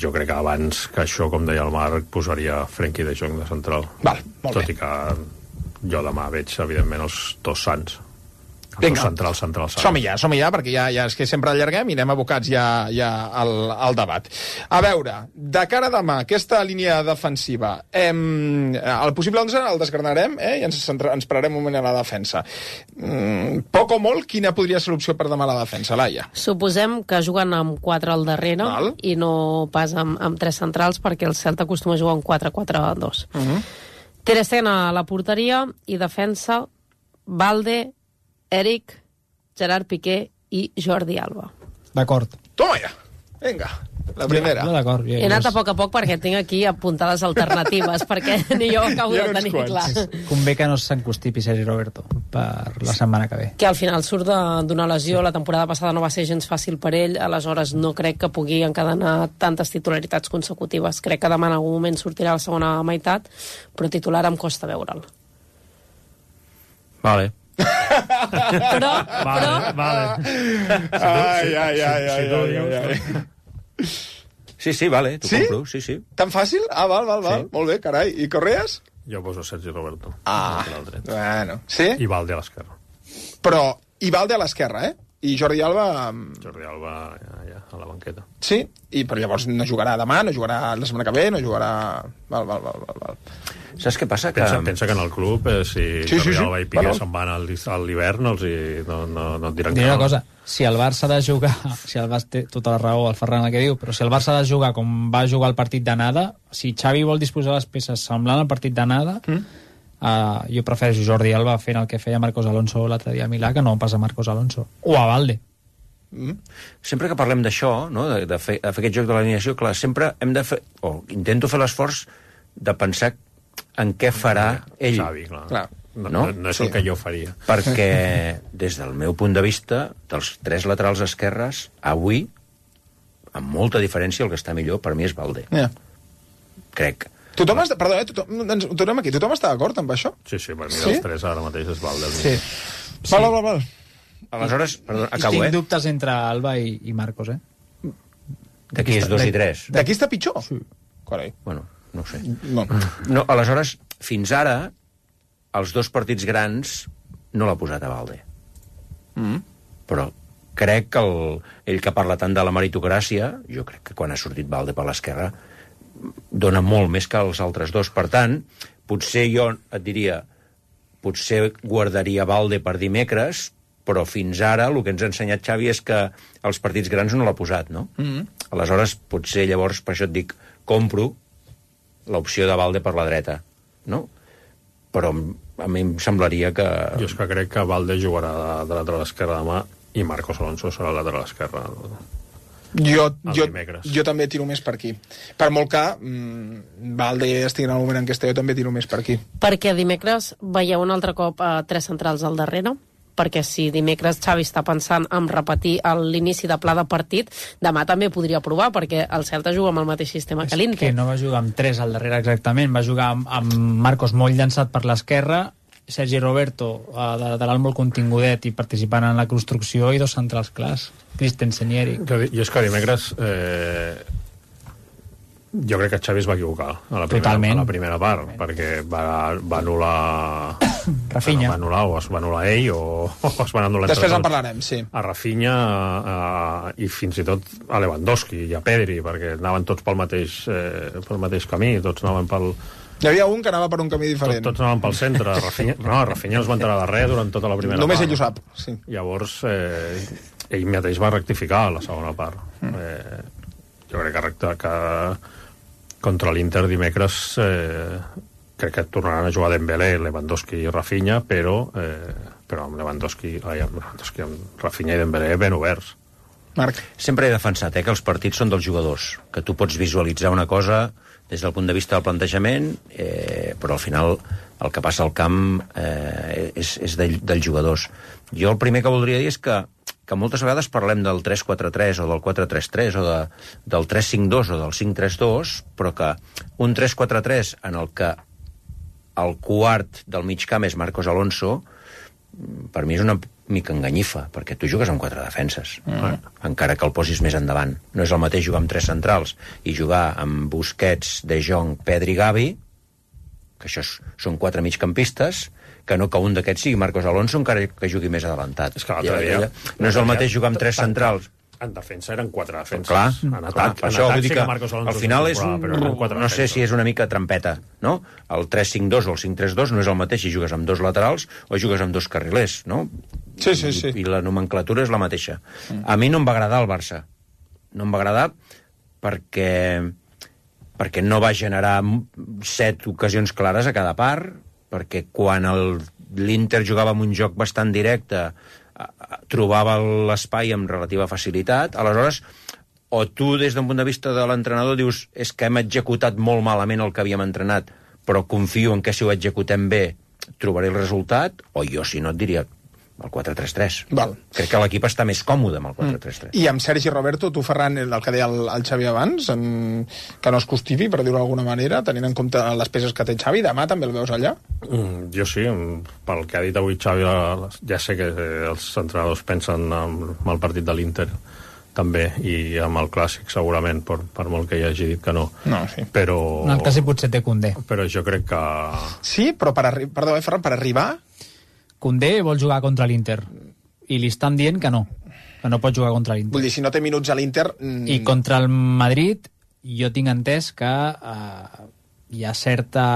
[SPEAKER 11] jo crec que abans que això, com deia el Marc, posaria Frenkie de Jong de central.
[SPEAKER 8] Molt
[SPEAKER 11] tot i que jo demà veig evidentment els dos sants.
[SPEAKER 8] Vinga,
[SPEAKER 11] central.
[SPEAKER 8] som-hi ja, perquè ja és que sempre allarguem i anem abocats ja al debat. A veure, de cara a demà, aquesta línia defensiva, el possible 11 el desgranarem i ens pararem un moment a la defensa. Poc o molt, quina podria ser l'opció per demà a la defensa, Laia?
[SPEAKER 21] Suposem que juguen amb 4 al darrere i no pas amb 3 centrals, perquè el Celta acostuma a jugar amb 4-4-2. Ter Stegen a la porteria i defensa Balde, Eric, Gerard Piqué i Jordi Alba.
[SPEAKER 16] D'acord.
[SPEAKER 8] Toma ja, vinga, la primera.
[SPEAKER 16] D'acord.
[SPEAKER 21] He anat a poc perquè tinc aquí apuntades alternatives, perquè ni jo acabo de tenir clar.
[SPEAKER 16] Convé que no s'encostipi Sergi Roberto per la setmana que ve.
[SPEAKER 21] Que al final surt d'una lesió, la temporada passada no va ser gens fàcil per ell, aleshores no crec que pugui encadenar tantes titularitats consecutives. Crec que demà en algun moment sortirà la segona meitat, però titular em costa veure'l.
[SPEAKER 9] Vale.
[SPEAKER 11] Vale.
[SPEAKER 8] Ai.
[SPEAKER 9] Sí, vale, t'ho compro, sí.
[SPEAKER 8] Tan fàcil? Val. Sí. Molt bé, carai. I Correas?
[SPEAKER 11] Jo poso Sergi Roberto.
[SPEAKER 8] Bueno. Sí?
[SPEAKER 11] I Balde a l'esquerra.
[SPEAKER 8] Però, i Balde a l'esquerra, I Jordi Alba...
[SPEAKER 11] Jordi Alba, ja, a la banqueta.
[SPEAKER 8] Sí? Però llavors no jugarà demà, no jugarà la setmana que ve, no jugarà... Val.
[SPEAKER 9] Saps què passa?
[SPEAKER 11] Pensa que en el club, si Jordi Alba i Piqué se'n van a l'hivern, no et diran que
[SPEAKER 16] una cosa, si el Barça ha de jugar, si el Barça té tota la raó, el Ferran el que diu, però si el Barça ha de jugar com va jugar el partit d'anada, si Xavi vol disposar les peces semblant al partit d'anada, jo prefereixo Jordi Alba fent el que feia Marcos Alonso l'altre dia a Milà, que no pas a Marcos Alonso. O a Balde.
[SPEAKER 9] Sempre que parlem d'això, no, de fer aquest joc de l'alineació, clar, sempre hem de fer, o intento fer l'esforç de pensar en què farà ell.
[SPEAKER 11] Xavi, clar. No és el que jo faria.
[SPEAKER 9] Perquè, des del meu punt de vista, dels 3 laterals esquerres, avui, amb molta diferència, el que està millor per mi és Balde. Crec.
[SPEAKER 8] Tothom està d'acord amb això?
[SPEAKER 11] Sí, per mi dels 3 ara mateix és Balde.
[SPEAKER 8] Sí. Val.
[SPEAKER 9] Aleshores, perdó, acabo,
[SPEAKER 16] Tinc dubtes entre Alba i Marcos,
[SPEAKER 9] D'aquí és 2 i 3.
[SPEAKER 8] D'aquí està pitjor? Sí. Carai.
[SPEAKER 9] Bueno, no ho sé. No, aleshores, fins ara, els 2 partits grans no l'ha posat a Balde. Però crec que ell que parla tant de la meritocràcia, jo crec que quan ha sortit Balde per l'esquerra dona molt més que els altres 2. Per tant, potser jo et diria, potser guardaria Balde per dimecres, però fins ara el que ens ha ensenyat Xavi és que els partits grans no l'ha posat, no? Aleshores, potser llavors, per això et dic, compro l'opció de Balde per la dreta, no? Però a mi em semblaria que...
[SPEAKER 11] Jo és que crec que Balde jugarà de lateral esquerra demà i Marcos Alonso serà el lateral esquerra
[SPEAKER 8] jo també tiro més per aquí. Per molt que Balde estigui en el moment en què està, jo també tiro més per aquí.
[SPEAKER 21] Perquè dimecres veieu un altre cop 3 centrals al darrere? Perquè si dimecres Xavi està pensant en repetir l'inici de pla de partit, demà també podria provar, perquè el Celta juga amb el mateix sistema que l'Inter.
[SPEAKER 16] Que no va jugar amb 3 al darrere exactament, va jugar amb Marcos molt llançat per l'esquerra, Sergi Roberto de lateral molt contingudet i participant en la construcció, i 2 centrals clars, Christensen i Eric.
[SPEAKER 11] Jo és que dimecres jo crec que Xavi es va equivocar a la primera part, perquè va anul·lar
[SPEAKER 16] Rafinha.
[SPEAKER 11] Va anul·lar, o es va annular ell o es van anul·lar
[SPEAKER 8] després en parlarem, sí.
[SPEAKER 11] A Rafinha i fins i tot a Lewandowski i a Pedri, perquè anaven tots pel mateix camí, tots anaven pel...
[SPEAKER 8] Hi havia un que anava per un camí diferent.
[SPEAKER 11] Tots anaven pel centre. Rafinha no es va enterar de res durant tota la primera part.
[SPEAKER 8] Només ell ho sap, sí.
[SPEAKER 11] Llavors ell mateix va rectificar a la segona part. Jo crec que contra l'Inter dimecres crec que tornaran a jugar Dembélé, Lewandowski i Rafinha, però amb Lewandowski, amb Rafinha i Dembélé ben oberts.
[SPEAKER 8] Marc.
[SPEAKER 9] Sempre he defensat que els partits són dels jugadors, que tu pots visualitzar una cosa des del punt de vista del plantejament, però al final el que passa al camp és dels jugadors. Jo el primer que voldria dir és que moltes vegades parlem del 3-4-3 o del 4-3-3 o del 3-5-2 o del 5-3-2, però que un 3-4-3 en el que el quart del mig camp és Marcos Alonso, per mi és una mica enganyifa, perquè tu jugues amb 4 defenses, encara que el posis més endavant. No és el mateix jugar amb 3 centrals i jugar amb Busquets, De Jong, Pedri, Gavi, que això són 4 migcampistes, que un d'aquests sigui Marcos Alonso, encara que jugui més adelantat.
[SPEAKER 11] És que l'altre dia...
[SPEAKER 9] No és el mateix jugar amb 3 centrals.
[SPEAKER 11] En defensa eren 4 defenses.
[SPEAKER 9] Clar,
[SPEAKER 11] en atac,
[SPEAKER 9] això vull dir que
[SPEAKER 11] al
[SPEAKER 9] final és no sé si és una mica trampeta, no? El 3-5-2 o el 5-3-2 no és el mateix si jugues amb 2 laterals o jugues amb 2 carrilers, no?
[SPEAKER 8] Sí.
[SPEAKER 9] I la nomenclatura és la mateixa. A mi no em va agradar el Barça. No em va agradar perquè no va generar 7 ocasions clares a cada part, perquè quan l'Inter jugava amb un joc bastant directe trobava l'espai amb relativa facilitat, aleshores o tu des d'un punt de vista de l'entrenador dius és que hem executat molt malament el que havíem entrenat, però confio en que si ho executem bé trobaré el resultat, o jo si no et diria el 4-3-3.
[SPEAKER 8] Val.
[SPEAKER 9] Crec que l'equip està més còmode amb el 4-3-3.
[SPEAKER 8] I amb Sergi Roberto, tu, Ferran, el que deia el Xavi abans, que no es costivi, per dir-ho d'alguna manera, tenint en compte les peces que té Xavi, demà també el veus allà?
[SPEAKER 11] Jo sí, pel que ha dit avui Xavi, ja sé que els entrenadors pensen en el partit de l'Inter també, i amb el Clàssic segurament, per molt que hi hagi dit que no.
[SPEAKER 8] No, sí.
[SPEAKER 11] Però...
[SPEAKER 16] En el Clàssic potser té Koundé.
[SPEAKER 11] Però jo crec que...
[SPEAKER 8] Sí, però perdó, Ferran, per arribar...
[SPEAKER 16] Koundé vol jugar contra l'Inter i li estan dient que no pot jugar contra l'Inter.
[SPEAKER 8] Vull dir, si no té minuts a l'Inter...
[SPEAKER 16] I contra el Madrid jo tinc entès que hi ha certa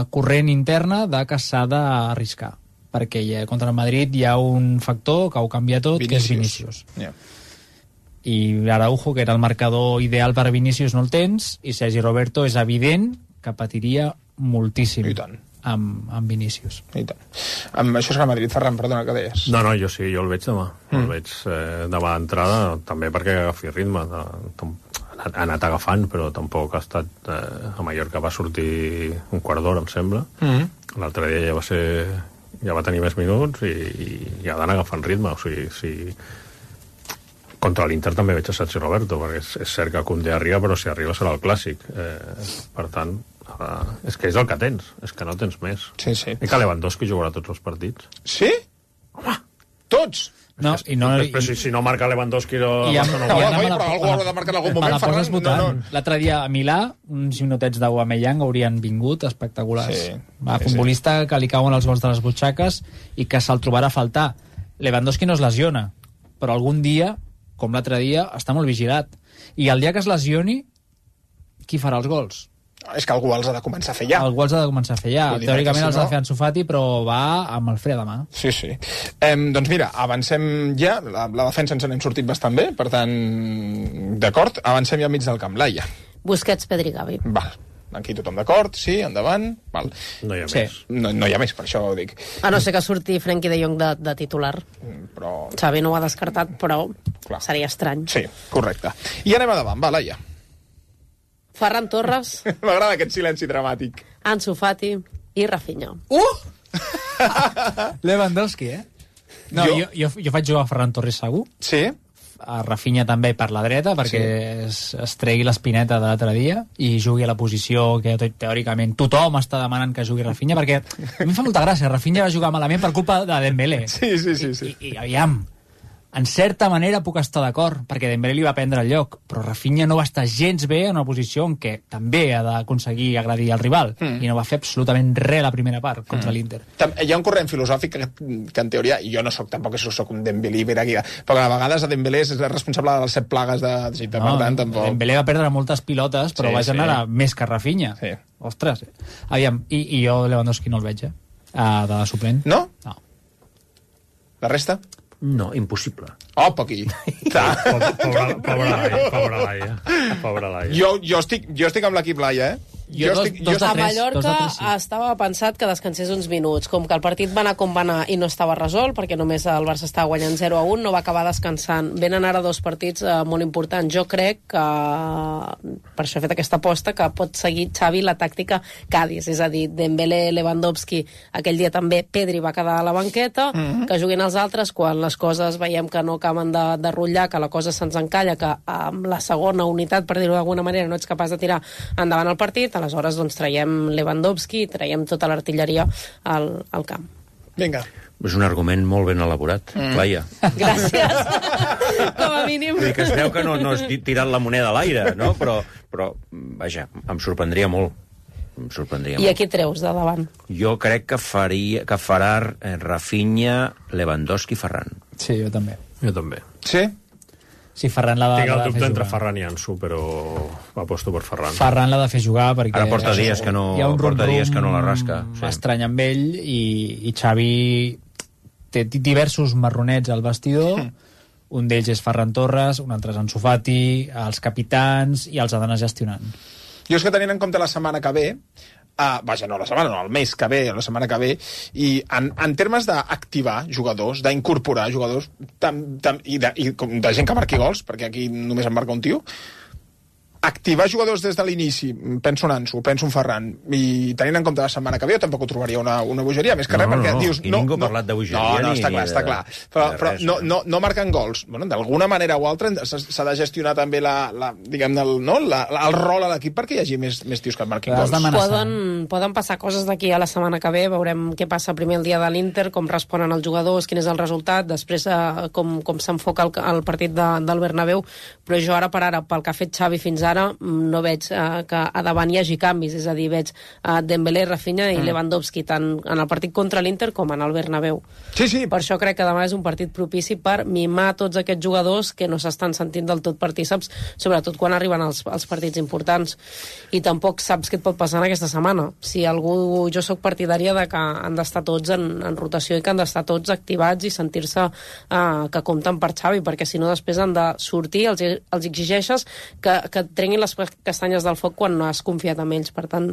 [SPEAKER 16] corrent interna de que s'ha d'arriscar, perquè contra el Madrid hi ha un factor que ho canvia tot, que és Vinícius.
[SPEAKER 8] Yeah.
[SPEAKER 16] I Araujo, que era el marcador ideal per a Vinícius, no el tens, i Sergi Roberto és evident que patiria moltíssim.
[SPEAKER 8] I tant.
[SPEAKER 16] Amb Vinícius.
[SPEAKER 8] I tant. Això és que el Madrid, Ferran, perdona, que deies?
[SPEAKER 11] No, jo sí, jo el veig demà. El veig demà d'entrada, també perquè agafi ritme. Ha anat agafant, però tampoc ha estat... a Mallorca va sortir un quart d'hora, em sembla. L'altre dia ja va tenir més minuts i ha d'anar agafant ritme. O sigui, contra l'Inter també veig a Sergi Roberto, perquè és cert que Koundé arriba, però si arriba serà el Clàssic. Per tant... és que és el que tens, és que no tens més.
[SPEAKER 8] Sí.
[SPEAKER 11] I que Lewandowski jugarà tots els partits.
[SPEAKER 8] Sí? Home, tots?
[SPEAKER 16] No,
[SPEAKER 11] però si no marca Lewandowski...
[SPEAKER 8] Però algú haurà de marcar en algun moment, Ferran.
[SPEAKER 16] L'altre dia a Milà, uns minutets d'Aubameyang haurien vingut espectaculars.
[SPEAKER 8] Sí.
[SPEAKER 16] Futbolista que li cauen els gols de les butxaques i que se'l trobarà a faltar. Lewandowski no es lesiona, però algun dia, com l'altre dia, està molt vigilat. I el dia que es lesioni, qui farà els gols?
[SPEAKER 8] És que algú els ha de començar a fer ja.
[SPEAKER 16] Algú els ha de començar a fer ja. Teòricament els ha de fer Ansu Fati, però va amb el fre de mà.
[SPEAKER 8] Sí. Doncs mira, avancem ja. La defensa ens n'hem sortit bastant bé, per tant, d'acord, avancem ja al mig del camp. Laia.
[SPEAKER 21] Busquets, Pedri, Gavi.
[SPEAKER 8] Val. Aquí tothom d'acord, sí, endavant. Val.
[SPEAKER 11] No hi ha més.
[SPEAKER 8] No hi ha més, per això ho dic.
[SPEAKER 21] A no ser que surti Frenkie de Jong de titular.
[SPEAKER 8] Però...
[SPEAKER 21] Xavi no ho ha descartat, però seria estrany.
[SPEAKER 8] Sí, correcte. I anem a davant, va, Laia.
[SPEAKER 21] Ferran Torres.
[SPEAKER 8] M'agrada aquest silenci dramàtic.
[SPEAKER 21] Ansu Fati i Rafinha.
[SPEAKER 16] Lewandowski, No, jo faig jugar a Ferran Torres segur.
[SPEAKER 8] Sí.
[SPEAKER 16] A Rafinha també per la dreta, perquè es tregui l'espineta de l'altre dia i jugui a la posició que teòricament tothom està demanant que jugui Rafinha, perquè a mi em fa molta gràcia. Rafinha va jugar malament per culpa de Dembélé.
[SPEAKER 8] Sí.
[SPEAKER 16] I aviam, en certa manera puc estar d'acord, perquè Dembélé li va prendre el lloc, però Rafinha no va estar gens bé en una posició en què també ha d'aconseguir agredir al rival, i no va fer absolutament res la primera part contra l'Inter.
[SPEAKER 8] Hi ha un corrent filosòfic que en teoria, i jo no tampoc soc un Dembélé, però a vegades a Dembélé és responsable de les 7 plagues d'Egipte, per tant, tampoc...
[SPEAKER 16] Dembélé va perdre moltes pilotes, però va generar més que Rafinha.
[SPEAKER 8] Sí.
[SPEAKER 16] Ostres, aviam, i jo Lewandowski no el veig, de suplent.
[SPEAKER 8] No?
[SPEAKER 16] No.
[SPEAKER 9] La resta? No, impossible.
[SPEAKER 8] Oh, poqui.
[SPEAKER 11] Pobra Laia.
[SPEAKER 8] Jo estic amb l'equip Laia,
[SPEAKER 21] A Mallorca estava pensat que descansés uns minuts. Com que el partit va anar com va anar i no estava resolt, perquè només el Barça estava guanyant 0-1, no va acabar descansant. Venen ara 2 partits molt importants. Jo crec que, per això he fet aquesta aposta, que pot seguir Xavi la tàctica Cádiz, és a dir, Dembélé, Lewandowski, aquell dia també Pedri va quedar a la banqueta, que juguin els altres quan les coses veiem que no acaben de rotllar, que la cosa se'ns encalla, que amb la segona unitat, per dir-ho d'alguna manera, no ets capaç de tirar endavant el partit. Aleshores, doncs, traiem Lewandowski, traiem tota l'artilleria al camp.
[SPEAKER 8] Vinga.
[SPEAKER 9] És un argument molt ben elaborat, Laia.
[SPEAKER 21] Gràcies. Com a mínim.
[SPEAKER 9] Vull dir que es veu que no has tirat la moneda a l'aire, no? Però, vaja, em sorprendria molt. em sorprendria
[SPEAKER 21] I a qui treus de davant?
[SPEAKER 9] Jo crec que farà Rafinha, Lewandowski i Ferran.
[SPEAKER 16] Sí, jo també.
[SPEAKER 11] Jo també.
[SPEAKER 6] Sí?
[SPEAKER 16] Sí, Ferran l'ha de
[SPEAKER 11] Tinc el
[SPEAKER 16] fer
[SPEAKER 11] dubte entre
[SPEAKER 16] jugar.
[SPEAKER 11] Ferran i Ansu, però aposto per Ferran.
[SPEAKER 16] Ferran l'ha de fer jugar perquè...
[SPEAKER 9] Ara porta dies que no,
[SPEAKER 16] hi ha un
[SPEAKER 9] dies que no la rasca.
[SPEAKER 16] estrany amb ell i Xavi té diversos marronets al vestidor. Un d'ells és Ferran Torres, un altre és Ansu Fati, els capitans, i els ha d'anar gestionant.
[SPEAKER 8] Jo és que tenint en compte la setmana que ve, el mes que ve, la setmana que ve, i en termes d'activar jugadors, d'incorporar jugadors, i de gent que marqui gols, perquè aquí només en marca un tio, activar jugadors des de l'inici, penso en Ansu, penso en Ferran, i tenint en compte la setmana que ve, jo tampoc ho trobaria una bogeria, més que res, perquè dius...
[SPEAKER 9] Ningú ha parlat de bogeria.
[SPEAKER 8] No, està clar. Però no marquen gols. Bueno, d'alguna manera o altra s'ha de gestionar també el rol a l'equip perquè hi hagi més tios que marquin gols.
[SPEAKER 21] Poden passar coses d'aquí a la setmana que ve, veurem què passa primer el dia de l'Inter, com responen els jugadors, quin és el resultat, després com s'enfoca el partit del Bernabéu, però jo ara per ara, pel que ha fet Xavi fins ara, no veig que a davant hi hagi canvis, és a dir, veig Dembélé, Rafinha i Lewandowski, tant en el partit contra l'Inter com en el Bernabéu.
[SPEAKER 8] Sí.
[SPEAKER 21] Per això crec que demà és un partit propici per mimar tots aquests jugadors que no s'estan sentint del tot partíceps, sobretot quan arriben els partits importants. I tampoc saps què et pot passar en aquesta setmana. Si algú... Jo sóc partidària de que han d'estar tots en rotació i que han d'estar tots activats i sentir-se que compten per Xavi, perquè si no després han de sortir, els exigeixes que trenguin les castanyes del foc quan no has confiat en ells. Per tant,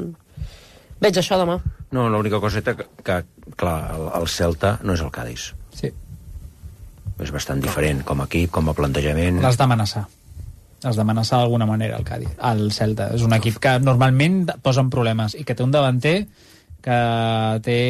[SPEAKER 21] veig això demà.
[SPEAKER 9] No, l'única coseta que clar, el Celta no és el Cádiz.
[SPEAKER 16] Sí.
[SPEAKER 9] És bastant diferent com a equip, com a plantejament.
[SPEAKER 16] L'has d'amenaçar. Has d'amenaçar d'alguna manera el Cádiz. El Celta és un equip que normalment posa en problemes i que té un davanter que té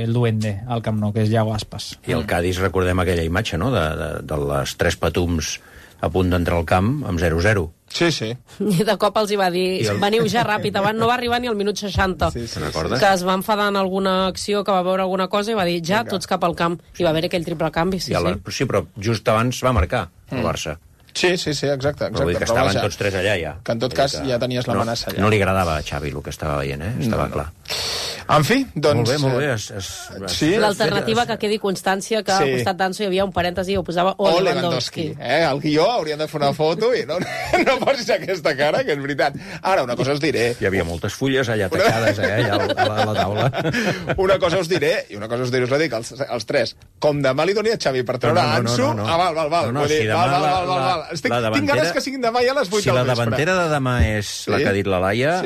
[SPEAKER 16] el duende al Camp Nou, que és Iago Aspas.
[SPEAKER 9] I el Cádiz, recordem aquella imatge, no?, de les tres patums a punt d'entrar al camp amb 0-0.
[SPEAKER 8] Sí.
[SPEAKER 21] I de cop els hi va dir, veniu ja ràpid, abans no va arribar ni al minut 60.
[SPEAKER 9] Sí. Recordes?
[SPEAKER 21] Que es va enfadar en alguna acció, que va veure alguna cosa i va dir, ja, tots cap al camp. I va haver aquell triple canvi, sí.
[SPEAKER 9] Sí, però just abans va marcar el Barça.
[SPEAKER 8] Sí, exacte.
[SPEAKER 9] Però vull dir que estaven tots tres allà, ja.
[SPEAKER 8] Que en tot cas ja tenies l'amenaça allà.
[SPEAKER 9] No li agradava a Xavi el que estava veient, estava clar.
[SPEAKER 8] En fi, doncs...
[SPEAKER 9] Molt bé.
[SPEAKER 21] Sí, l'alternativa que quedi constància que al costat d'Ansu hi havia un parèntesi i ho posava Lewandowski.
[SPEAKER 8] El guió hauríem de fer una foto i no posis aquesta cara, que és veritat. Ara, una cosa us diré...
[SPEAKER 9] Hi havia moltes fulles allà tacades, allà a la taula.
[SPEAKER 8] Una cosa us diré, us la dic als tres. Com demà li doni a Xavi per treure Ansu... Val. Val. Tinc ganes que siguin demà ja a les 8 del vespre.
[SPEAKER 9] Si la davantera de demà és la que ha dit la Laia,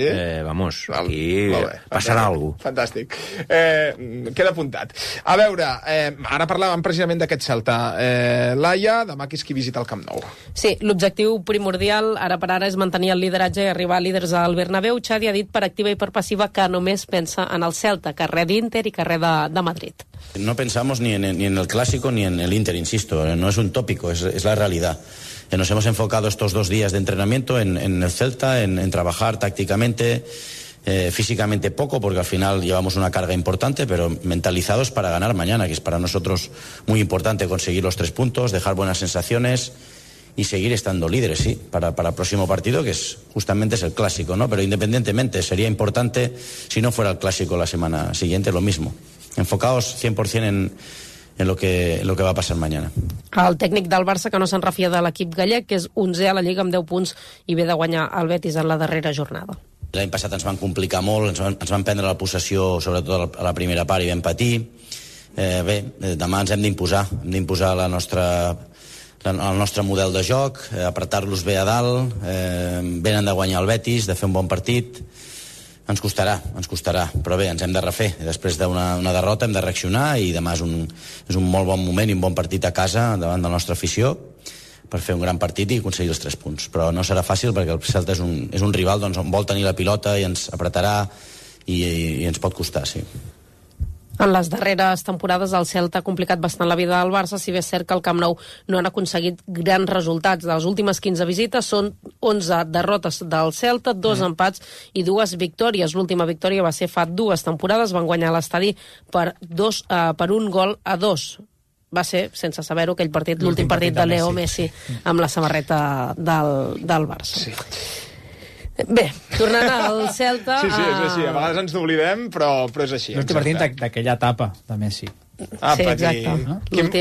[SPEAKER 9] vamos, aquí passarà alguna cosa.
[SPEAKER 8] Fantàstic. Queda apuntat. A veure, ara parlàvem precisament d'aquest Celta. Laia, demà qui és qui visita el Camp Nou?
[SPEAKER 21] Sí, l'objectiu primordial ara per ara és mantenir el lideratge i arribar a líders al Bernabéu. Xavi ha dit per activa i per passiva que només pensa en el Celta, carrer d'Inter i carrer de Madrid.
[SPEAKER 22] No pensamos ni en el Clásico ni en el Inter, insisto. No es un tópico, es la realidad. Nos hemos enfocado estos 2 días de entrenamiento en el Celta, en trabajar tácticamente, físicamente poco, porque al final llevamos una carga importante, pero mentalizados para ganar mañana, que es para nosotros muy importante conseguir los 3 puntos, dejar buenas sensaciones y seguir estando líderes, sí, para el próximo partido, que justamente es el Clásico, ¿no? Pero independientemente, sería importante si no fuera el Clásico la semana siguiente, lo mismo. Enfocados 100% en lo que va a pasar mañana.
[SPEAKER 21] El tècnic del Barça, que no se'n refia de l'equip gallec, que és 11è a la Lliga amb 10 punts i ve de guanyar el Betis en la darrera jornada.
[SPEAKER 22] L'any passat ens van complicar molt, ens van prendre la possessió, sobretot a la primera part, i vam patir. Demà ens hem d'imposar el nostre model de joc, apretar-los bé a dalt, venen de guanyar el Betis, de fer un bon partit. Ens costarà, però bé, ens hem de refer. Després d'una derrota hem de reaccionar i demà és un molt bon moment i un bon partit a casa davant de la nostra afició per fer un gran partit i aconseguir els 3 punts. Però no serà fàcil perquè el Celta és un rival on vol tenir la pilota i ens apretarà i ens pot costar, sí.
[SPEAKER 21] En les darreres temporades el Celta ha complicat bastant la vida del Barça, si bé és cert que el Camp Nou no han aconseguit grans resultats. De les últimes 15 visites són 11 derrotes del Celta, 2 empats i 2 victòries. L'última victòria va ser fa 2 temporades, van guanyar l'estadi per 1-2. Va ser, sense saber-ho, aquell partit, l'últim partit de Leo Messi amb la samarreta del Barça. Sí. Bé, tornant al Celta...
[SPEAKER 8] Sí, és així. A vegades ens n'oblidem, però és així.
[SPEAKER 16] L'últim partit d'aquella etapa de Messi.
[SPEAKER 21] Sí, exacte.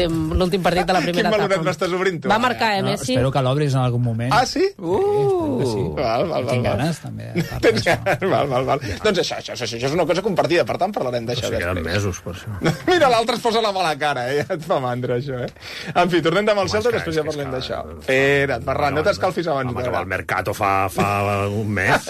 [SPEAKER 21] L'últim partit de la primera etapa.
[SPEAKER 8] Quin valoret m'estàs obrint, tu?
[SPEAKER 21] Va marcar, Messi.
[SPEAKER 16] Espero que l'obris en algun moment.
[SPEAKER 8] Ah, sí?
[SPEAKER 16] Sí.
[SPEAKER 8] Val.
[SPEAKER 16] Tinc ganes, també.
[SPEAKER 8] Tens ganes? Val. Doncs això és una cosa compartida, per tant parlarem d'això després.
[SPEAKER 11] Queden mesos, per això.
[SPEAKER 8] Mira, l'altre es posa la mala cara, Ja et fa mandra, això, En fi, tornem amb el Celta i després ja parlem d'això. Espera't, Ferran, no t'escalfis abans.
[SPEAKER 11] Home, que va al Mercato fa un mes.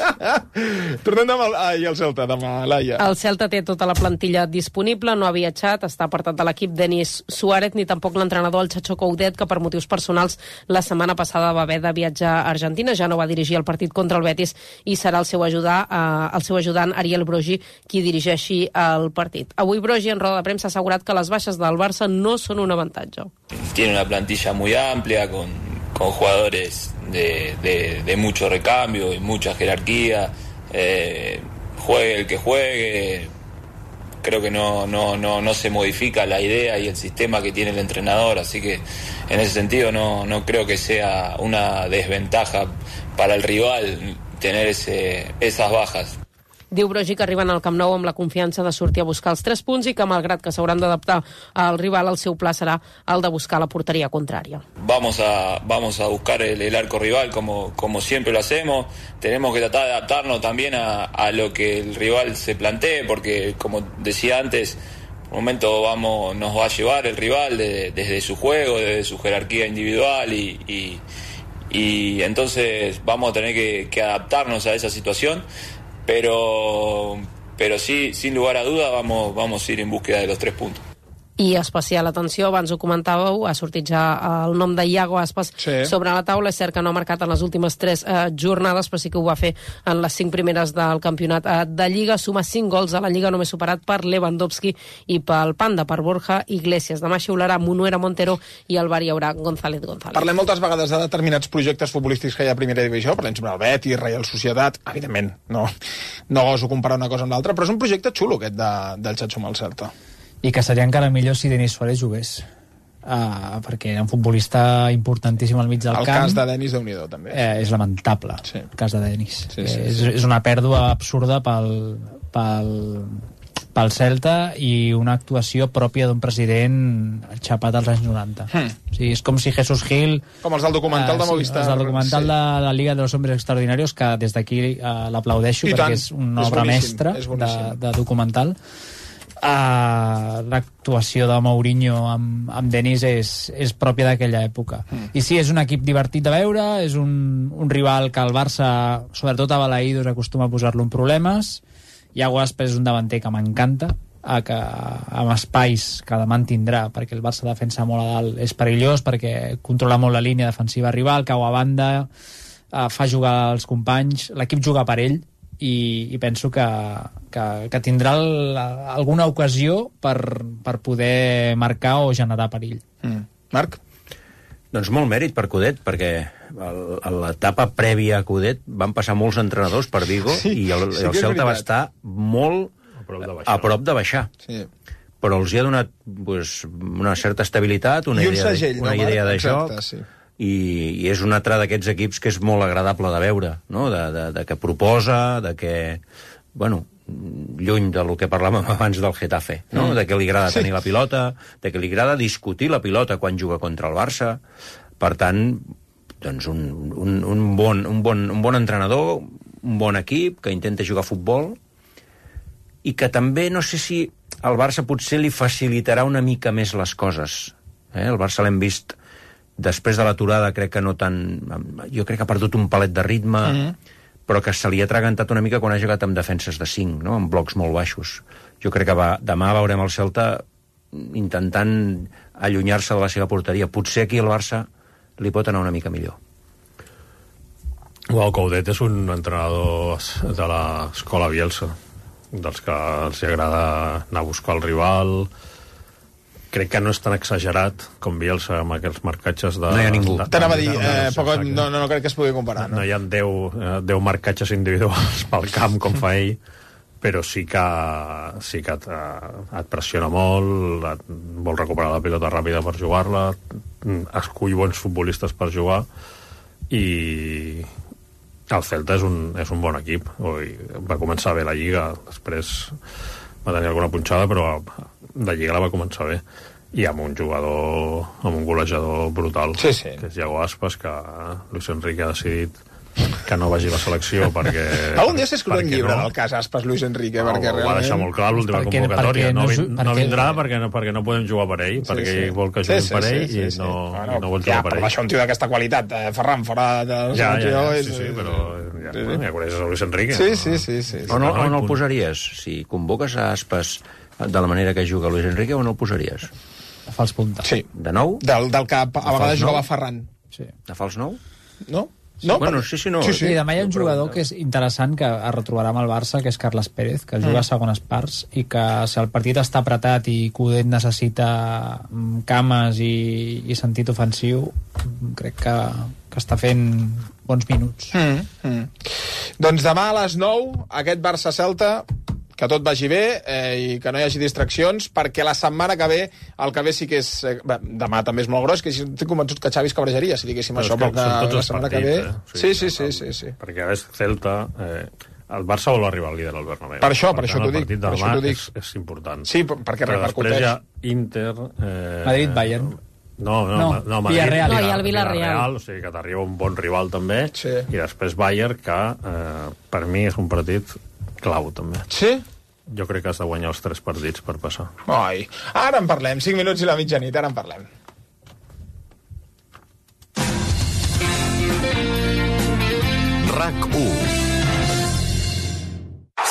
[SPEAKER 8] Tornem amb el Celta, demà, Laia.
[SPEAKER 21] El Celta té tota la plantilla disponible, no ha viatjat, està apartat de l'equip Denis Suárez, ni tampoc l'entrenador, el Chacho Coudet, que per motius personals la setmana passada va haver de viatjar a Argentina. Ja no va dirigir el partit contra el Betis i serà el seu ajudant Ariel Brogi qui dirigeixi el partit. Avui Brogi en roda de premsa ha assegurat que les baixes del Barça no són un avantatge.
[SPEAKER 12] Tiene una plantilla muy amplia con jugadores de mucho recambio y mucha jerarquía. Juegue el que juegue, creo que no se modifica la idea y el sistema que tiene el entrenador, así que en ese sentido no creo que sea una desventaja para el rival tener esas bajas.
[SPEAKER 21] Diu Brogi que arriben al Camp Nou amb la confiança de sortir a buscar els 3 punts i que, malgrat que s'hauran d'adaptar al rival, el seu pla serà el de buscar la porteria contrària.
[SPEAKER 12] Vamos a buscar el arco rival como siempre lo hacemos. Tenemos que tratar de adaptarnos también a lo que el rival se plantee, porque, como decía antes, por un momento nos va a llevar el rival desde su juego, desde su jerarquía individual y entonces vamos a tener que adaptarnos a esa situación. Pero sí, sin lugar a duda, vamos a ir en búsqueda de los 3 puntos.
[SPEAKER 21] I especial atenció, abans ho comentàveu, ha sortit ja el nom de Iago Aspas sobre la taula. És cert que no ha marcat en les últimes 3 jornades, però sí que ho va fer en les 5 primeres del campionat de Lliga. Suma 5 gols a la Lliga, només superat per Lewandowski i pel Panda, per Borja Iglesias. Demà xiularà Munuera Montero i al bar hi haurà González.
[SPEAKER 8] Parlem moltes vegades de determinats projectes futbolístics que hi ha a primera divisió, parlem sobre el Betis, Real Societat, evidentment, no goso comparar una cosa amb l'altra, però és un projecte xulo aquest del Chacho amb el Celta.
[SPEAKER 16] I que seria encara millor si Denis Suárez jugués, perquè era un futbolista importantíssim al mig del camp.
[SPEAKER 8] El cas de Denis, Déu-n'hi-do, també.
[SPEAKER 16] És lamentable, el cas de Denis. És una pèrdua absurda pel Celta i una actuació pròpia d'un president xapat als anys 90. O sigui, és com si Jesús Gil...
[SPEAKER 8] Com els del documental de Movistar.
[SPEAKER 16] Els del documental de la Liga de los Hombres Extraordinarios, que des d'aquí l'aplaudeixo, perquè és una obra mestra de documental. L'actuació de Mourinho amb Denis és pròpia d'aquella època. I sí, és un equip divertit de veure, és un rival que el Barça, sobretot a Balaïdos, acostuma a posar-lo en problemes. Iago Aspas és un davanter que m'encanta, que amb espais que demà en tindrà, perquè el Barça defensa molt a dalt, és perillós, perquè controla molt la línia defensiva rival, cau a banda, fa jugar els companys, l'equip juga per ell, i penso que tindrà alguna ocasió per poder marcar o generar perill.
[SPEAKER 8] Marc?
[SPEAKER 9] Doncs molt mèrit per Coudet, perquè a l'etapa prèvia a Coudet van passar molts entrenadors per Vigo i el Celta va estar molt a prop de baixar.
[SPEAKER 8] Sí.
[SPEAKER 9] Però els hi ha donat una certa estabilitat, una idea de joc, i és un altre d'aquests equips que és molt agradable de veure, no? De que proposa, de que, lluny del que parlàvem abans del Getafe, no? De que li agrada tenir la pilota, de que li agrada discutir la pilota quan juga contra el Barça. Per tant, doncs un bon entrenador, un bon equip que intenta jugar a futbol i que també, no sé si al Barça potser li facilitarà una mica més les coses. El Barça l'hem vist després de l'aturada, crec que no tant... Jo crec que ha perdut un palet de ritme, però que se li ha atragantat una mica quan ha jugat amb defenses de 5, no? Amb blocs molt baixos. Jo crec que demà veurem el Celta intentant allunyar-se de la seva porteria. Potser aquí el Barça li pot anar una mica millor.
[SPEAKER 11] Coudet és un entrenador de l'escola Bielsa, dels que els agrada anar a buscar el rival. Crec que no és tan exagerat com Bielsa amb aquests marcatges de...
[SPEAKER 9] No hi ha ningú.
[SPEAKER 8] T'anava a dir, no crec que es pugui comparar.
[SPEAKER 11] No hi ha 10 marcatges individuals pel camp com fa ell, però sí que et pressiona molt, vol recuperar la pilota ràpida per jugar-la, escull bons futbolistes per jugar i El Celta és un bon equip. Va començar bé la Lliga, després va tenir alguna punxada, però la Lliga la va començar bé. I amb un jugador, amb un golejador brutal, que és Iago Aspas, que Luis Enrique ha decidit que no vagi a la selecció perquè...
[SPEAKER 8] Algun dia s'escriurà un llibre del cas Aspas Luis Enrique, perquè realment...
[SPEAKER 11] Ho va deixar molt clar l'última convocatòria. No vindrà perquè no podem jugar per ell, perquè ell vol que juguin per ell i no vol jugar per ell.
[SPEAKER 8] Però això un tio d'aquesta qualitat, Ferran, fora de la selecció...
[SPEAKER 11] Sí, però ja coneixes a Luis Enrique.
[SPEAKER 8] Sí.
[SPEAKER 9] On el posaries? Si convoques a Aspas de la manera que juga Luis Enrique, on el posaries?
[SPEAKER 16] De fals punta.
[SPEAKER 8] Sí.
[SPEAKER 9] De nou?
[SPEAKER 8] Del que a vegades jugava Ferran.
[SPEAKER 9] De fals nou?
[SPEAKER 8] No?
[SPEAKER 9] No, bueno, sí, no.
[SPEAKER 16] Sí, demà hi ha un jugador que és interessant, que es retrobarà amb el Barça, que és Carles Pérez, que juga a segones parts, i que si el partit està apretat i Coudet necessita cames i sentit ofensiu, crec que està fent bons minuts.
[SPEAKER 8] Doncs demà a les 9, aquest Barça-Celta, que tot vagi bé i que no hi hagi distraccions, perquè la setmana que ve, el que ve sí que és... demà també és molt gros, que estic convençut que Xavi es cabrejaria, si diguéssim això, perquè la setmana que ve... Sí.
[SPEAKER 11] Perquè és Celta... El Barça vol arribar al líder al Bernabéu.
[SPEAKER 8] Per això t'ho dic.
[SPEAKER 11] El partit de demà és important.
[SPEAKER 8] Sí, perquè repercuteix.
[SPEAKER 11] Després hi ha Inter...
[SPEAKER 16] Madrid-Bayern.
[SPEAKER 11] No, Madrid.
[SPEAKER 16] Villarreal.
[SPEAKER 21] No, hi ha el Villarreal.
[SPEAKER 11] O sigui que t'arriba un bon rival també. I després Bayern, que per mi és un partit clau també.
[SPEAKER 8] Sí?
[SPEAKER 11] Jo crec que has de guanyar els 3 partits per passar.
[SPEAKER 8] Ai, ara en parlem, 5 minuts i la mitjanit, ara en parlem.
[SPEAKER 13] RAC1.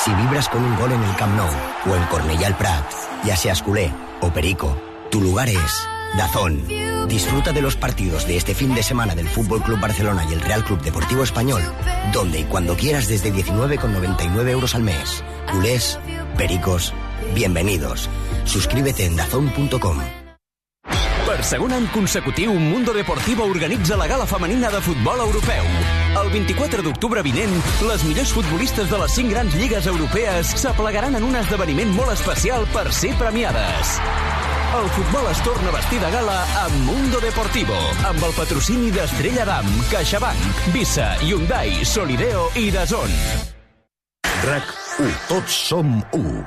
[SPEAKER 13] Si vibras con un gol en el Camp Nou o en Cornellà al Prat, ya seas culé o perico, tu lugar es DAZN. Disfruta de los partidos de este fin de semana del Fútbol Club Barcelona y el Real Club Deportivo Español, donde y cuando quieras desde 19,99 euros al mes. Culés, pericos, bienvenidos. Suscríbete en dazn.com.
[SPEAKER 1] Per segon any consecutiu, Mundo Deportivo organitza la gala femenina de futbol europeu. El 24 d'octubre vinent, les millors futbolistes de les 5 grans lligues europees s'aplegaran en un esdeveniment molt especial per ser premiades. El futbol es torna a vestir de gala amb Mundo Deportivo, amb el patrocini d'Estrella Damm, CaixaBank, Visa, Hyundai, Solideo i DAZN.
[SPEAKER 3] RAC1. Tots som 1.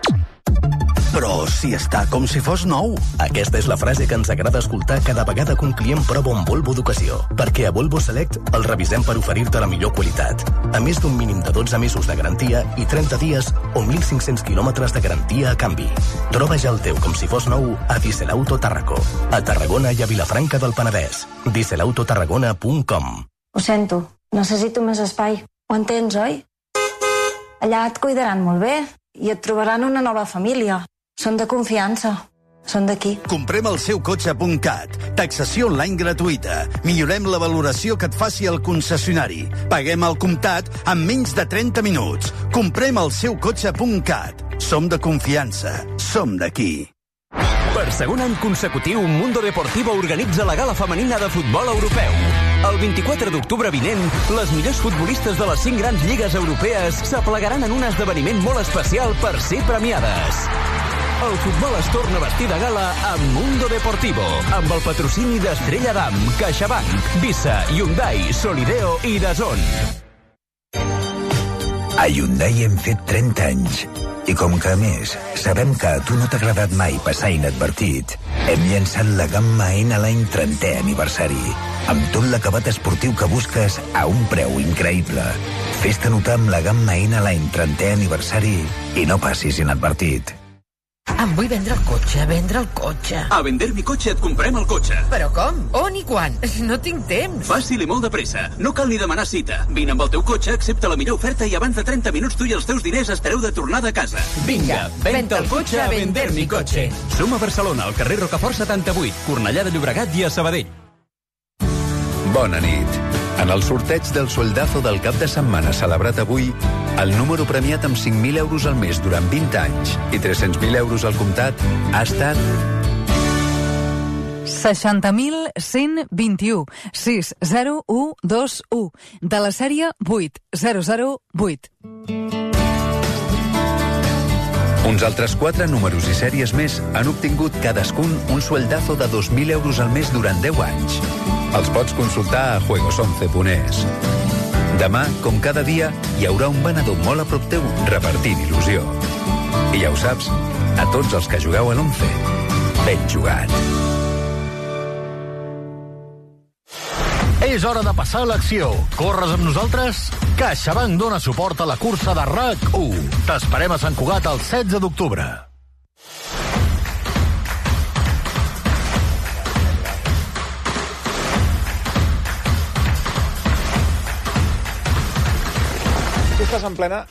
[SPEAKER 18] Però si està com si fos nou.
[SPEAKER 14] Aquesta és la frase que ens agrada escoltar cada vegada que un client prova un Volvo d'ocasió, perquè a Volvo Select el revisem per oferir-te la millor qualitat. A més d'un mínim de 12 mesos de garantia i 30 dies o 1.500 quilòmetres de garantia a canvi. Troba ja el teu com si fos nou a Dieselauto Tàrraco, a Tarragona i a Vilafranca del Penedès. dieselautotarragona.com.
[SPEAKER 17] Ho sento, necessito més espai. Ho entens, oi? Allà et cuidaran molt bé i et trobaran una nova família. Són de confiança. Són d'aquí.
[SPEAKER 18] Comprem el seu cotxe.cat. Taxació online gratuïta. Millorem la valoració que et faci el concessionari. Paguem al comptat en menys de 30 minuts. Comprem el seu cotxe.cat. Som de confiança. Som d'aquí.
[SPEAKER 1] Per segon any consecutiu, Mundo Deportivo organitza la gala femenina de futbol europeu. El 24 d'octubre vinent, les millors futbolistes de les 5 grans lligues europees s'aplegaran en un esdeveniment molt especial per ser premiades. El futbol es torna a vestir de gala amb Mundo Deportivo, amb el patrocini d'Estrella Damm, CaixaBank, Visa, Hyundai, Solideo i DAZN.
[SPEAKER 4] A Hyundai hem fet 30 anys. I com que, a més, sabem que a tu no t'ha agradat mai passar inadvertit, hem llançat la gamma N a l'any 30è aniversari, amb tot l'acabat esportiu que busques a un preu increïble. Fes-te notar amb la gamma N a l'any 30è aniversari i no passis inadvertit.
[SPEAKER 23] Em vull vendre el cotxe, vendre el cotxe.
[SPEAKER 1] A Vender mi cotxe et comprem el cotxe.
[SPEAKER 23] Però com? On i quan? No tinc temps.
[SPEAKER 1] Fàcil i molt de pressa. No cal ni demanar cita. Vine amb el teu cotxe, accepta la millor oferta i abans de 30 minuts tu i els teus diners espereu de tornada a casa.
[SPEAKER 23] Vinga, venta el cotxe a Vender mi cotxe.
[SPEAKER 1] Som a Barcelona, al carrer Rocafort 78, Cornellà de Llobregat i a Sabadell.
[SPEAKER 3] Bona nit. En el sorteig del sueldazo del cap de setmana celebrat avui, el número premiat amb 5.000 euros al mes durant 20 anys i 300.000 euros al comptat ha estat
[SPEAKER 5] 60.121 60121 de la sèrie 8008.
[SPEAKER 3] Uns altres 4 números i sèries més han obtingut cadascun un sueldazo de 2.000 euros al mes durant 10 anys. Els pots consultar a juegos11.es.
[SPEAKER 4] Demà, com cada dia, hi haurà un venedor molt a prop teu repartint il·lusió. I ja ho saps, a tots els que jugueu a l'11, ben jugat.
[SPEAKER 3] És hora de passar a l'acció. Corres amb nosaltres? CaixaBank dona suport a la cursa de RAC1. T'esperem a Sant Cugat el 16 d'octubre.
[SPEAKER 8] Tu estàs en plena,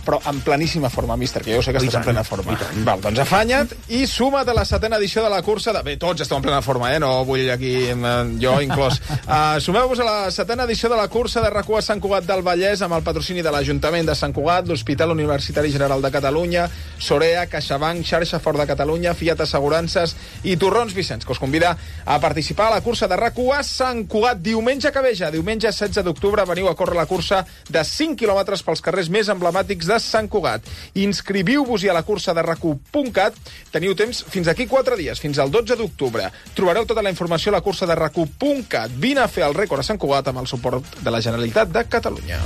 [SPEAKER 8] però en pleníssima forma, míster, que jo sé que estàs en plena forma. Val, doncs afanya't i suma't a la 7ª edició de la cursa de... Bé, tots esteu en plena forma, no vull aquí, jo inclòs. Sumeu-vos a la 7ª edició de la cursa de RAC1 a Sant Cugat del Vallès amb el patrocini de l'Ajuntament de Sant Cugat, l'Hospital Universitari General de Catalunya, Sorea, CaixaBank, Xarxa Fort de Catalunya, Fiat Assegurances i Torrons Vicenç, que us convida a participar a la cursa de RAC1 a Sant Cugat diumenge que ve ja. Diumenge 16 d'octubre veniu a córrer la cursa de 5 quilòmetres pels carrers més emblemàtics de Sant Cugat. Inscriviu-vos-hi a la cursa de RAC1.cat. Teniu temps fins aquí 4 dies, fins al 12 d'octubre. Trobareu tota la informació a la cursa de RAC1.cat. Vine a fer el rècord a Sant Cugat amb el suport de la Generalitat de Catalunya.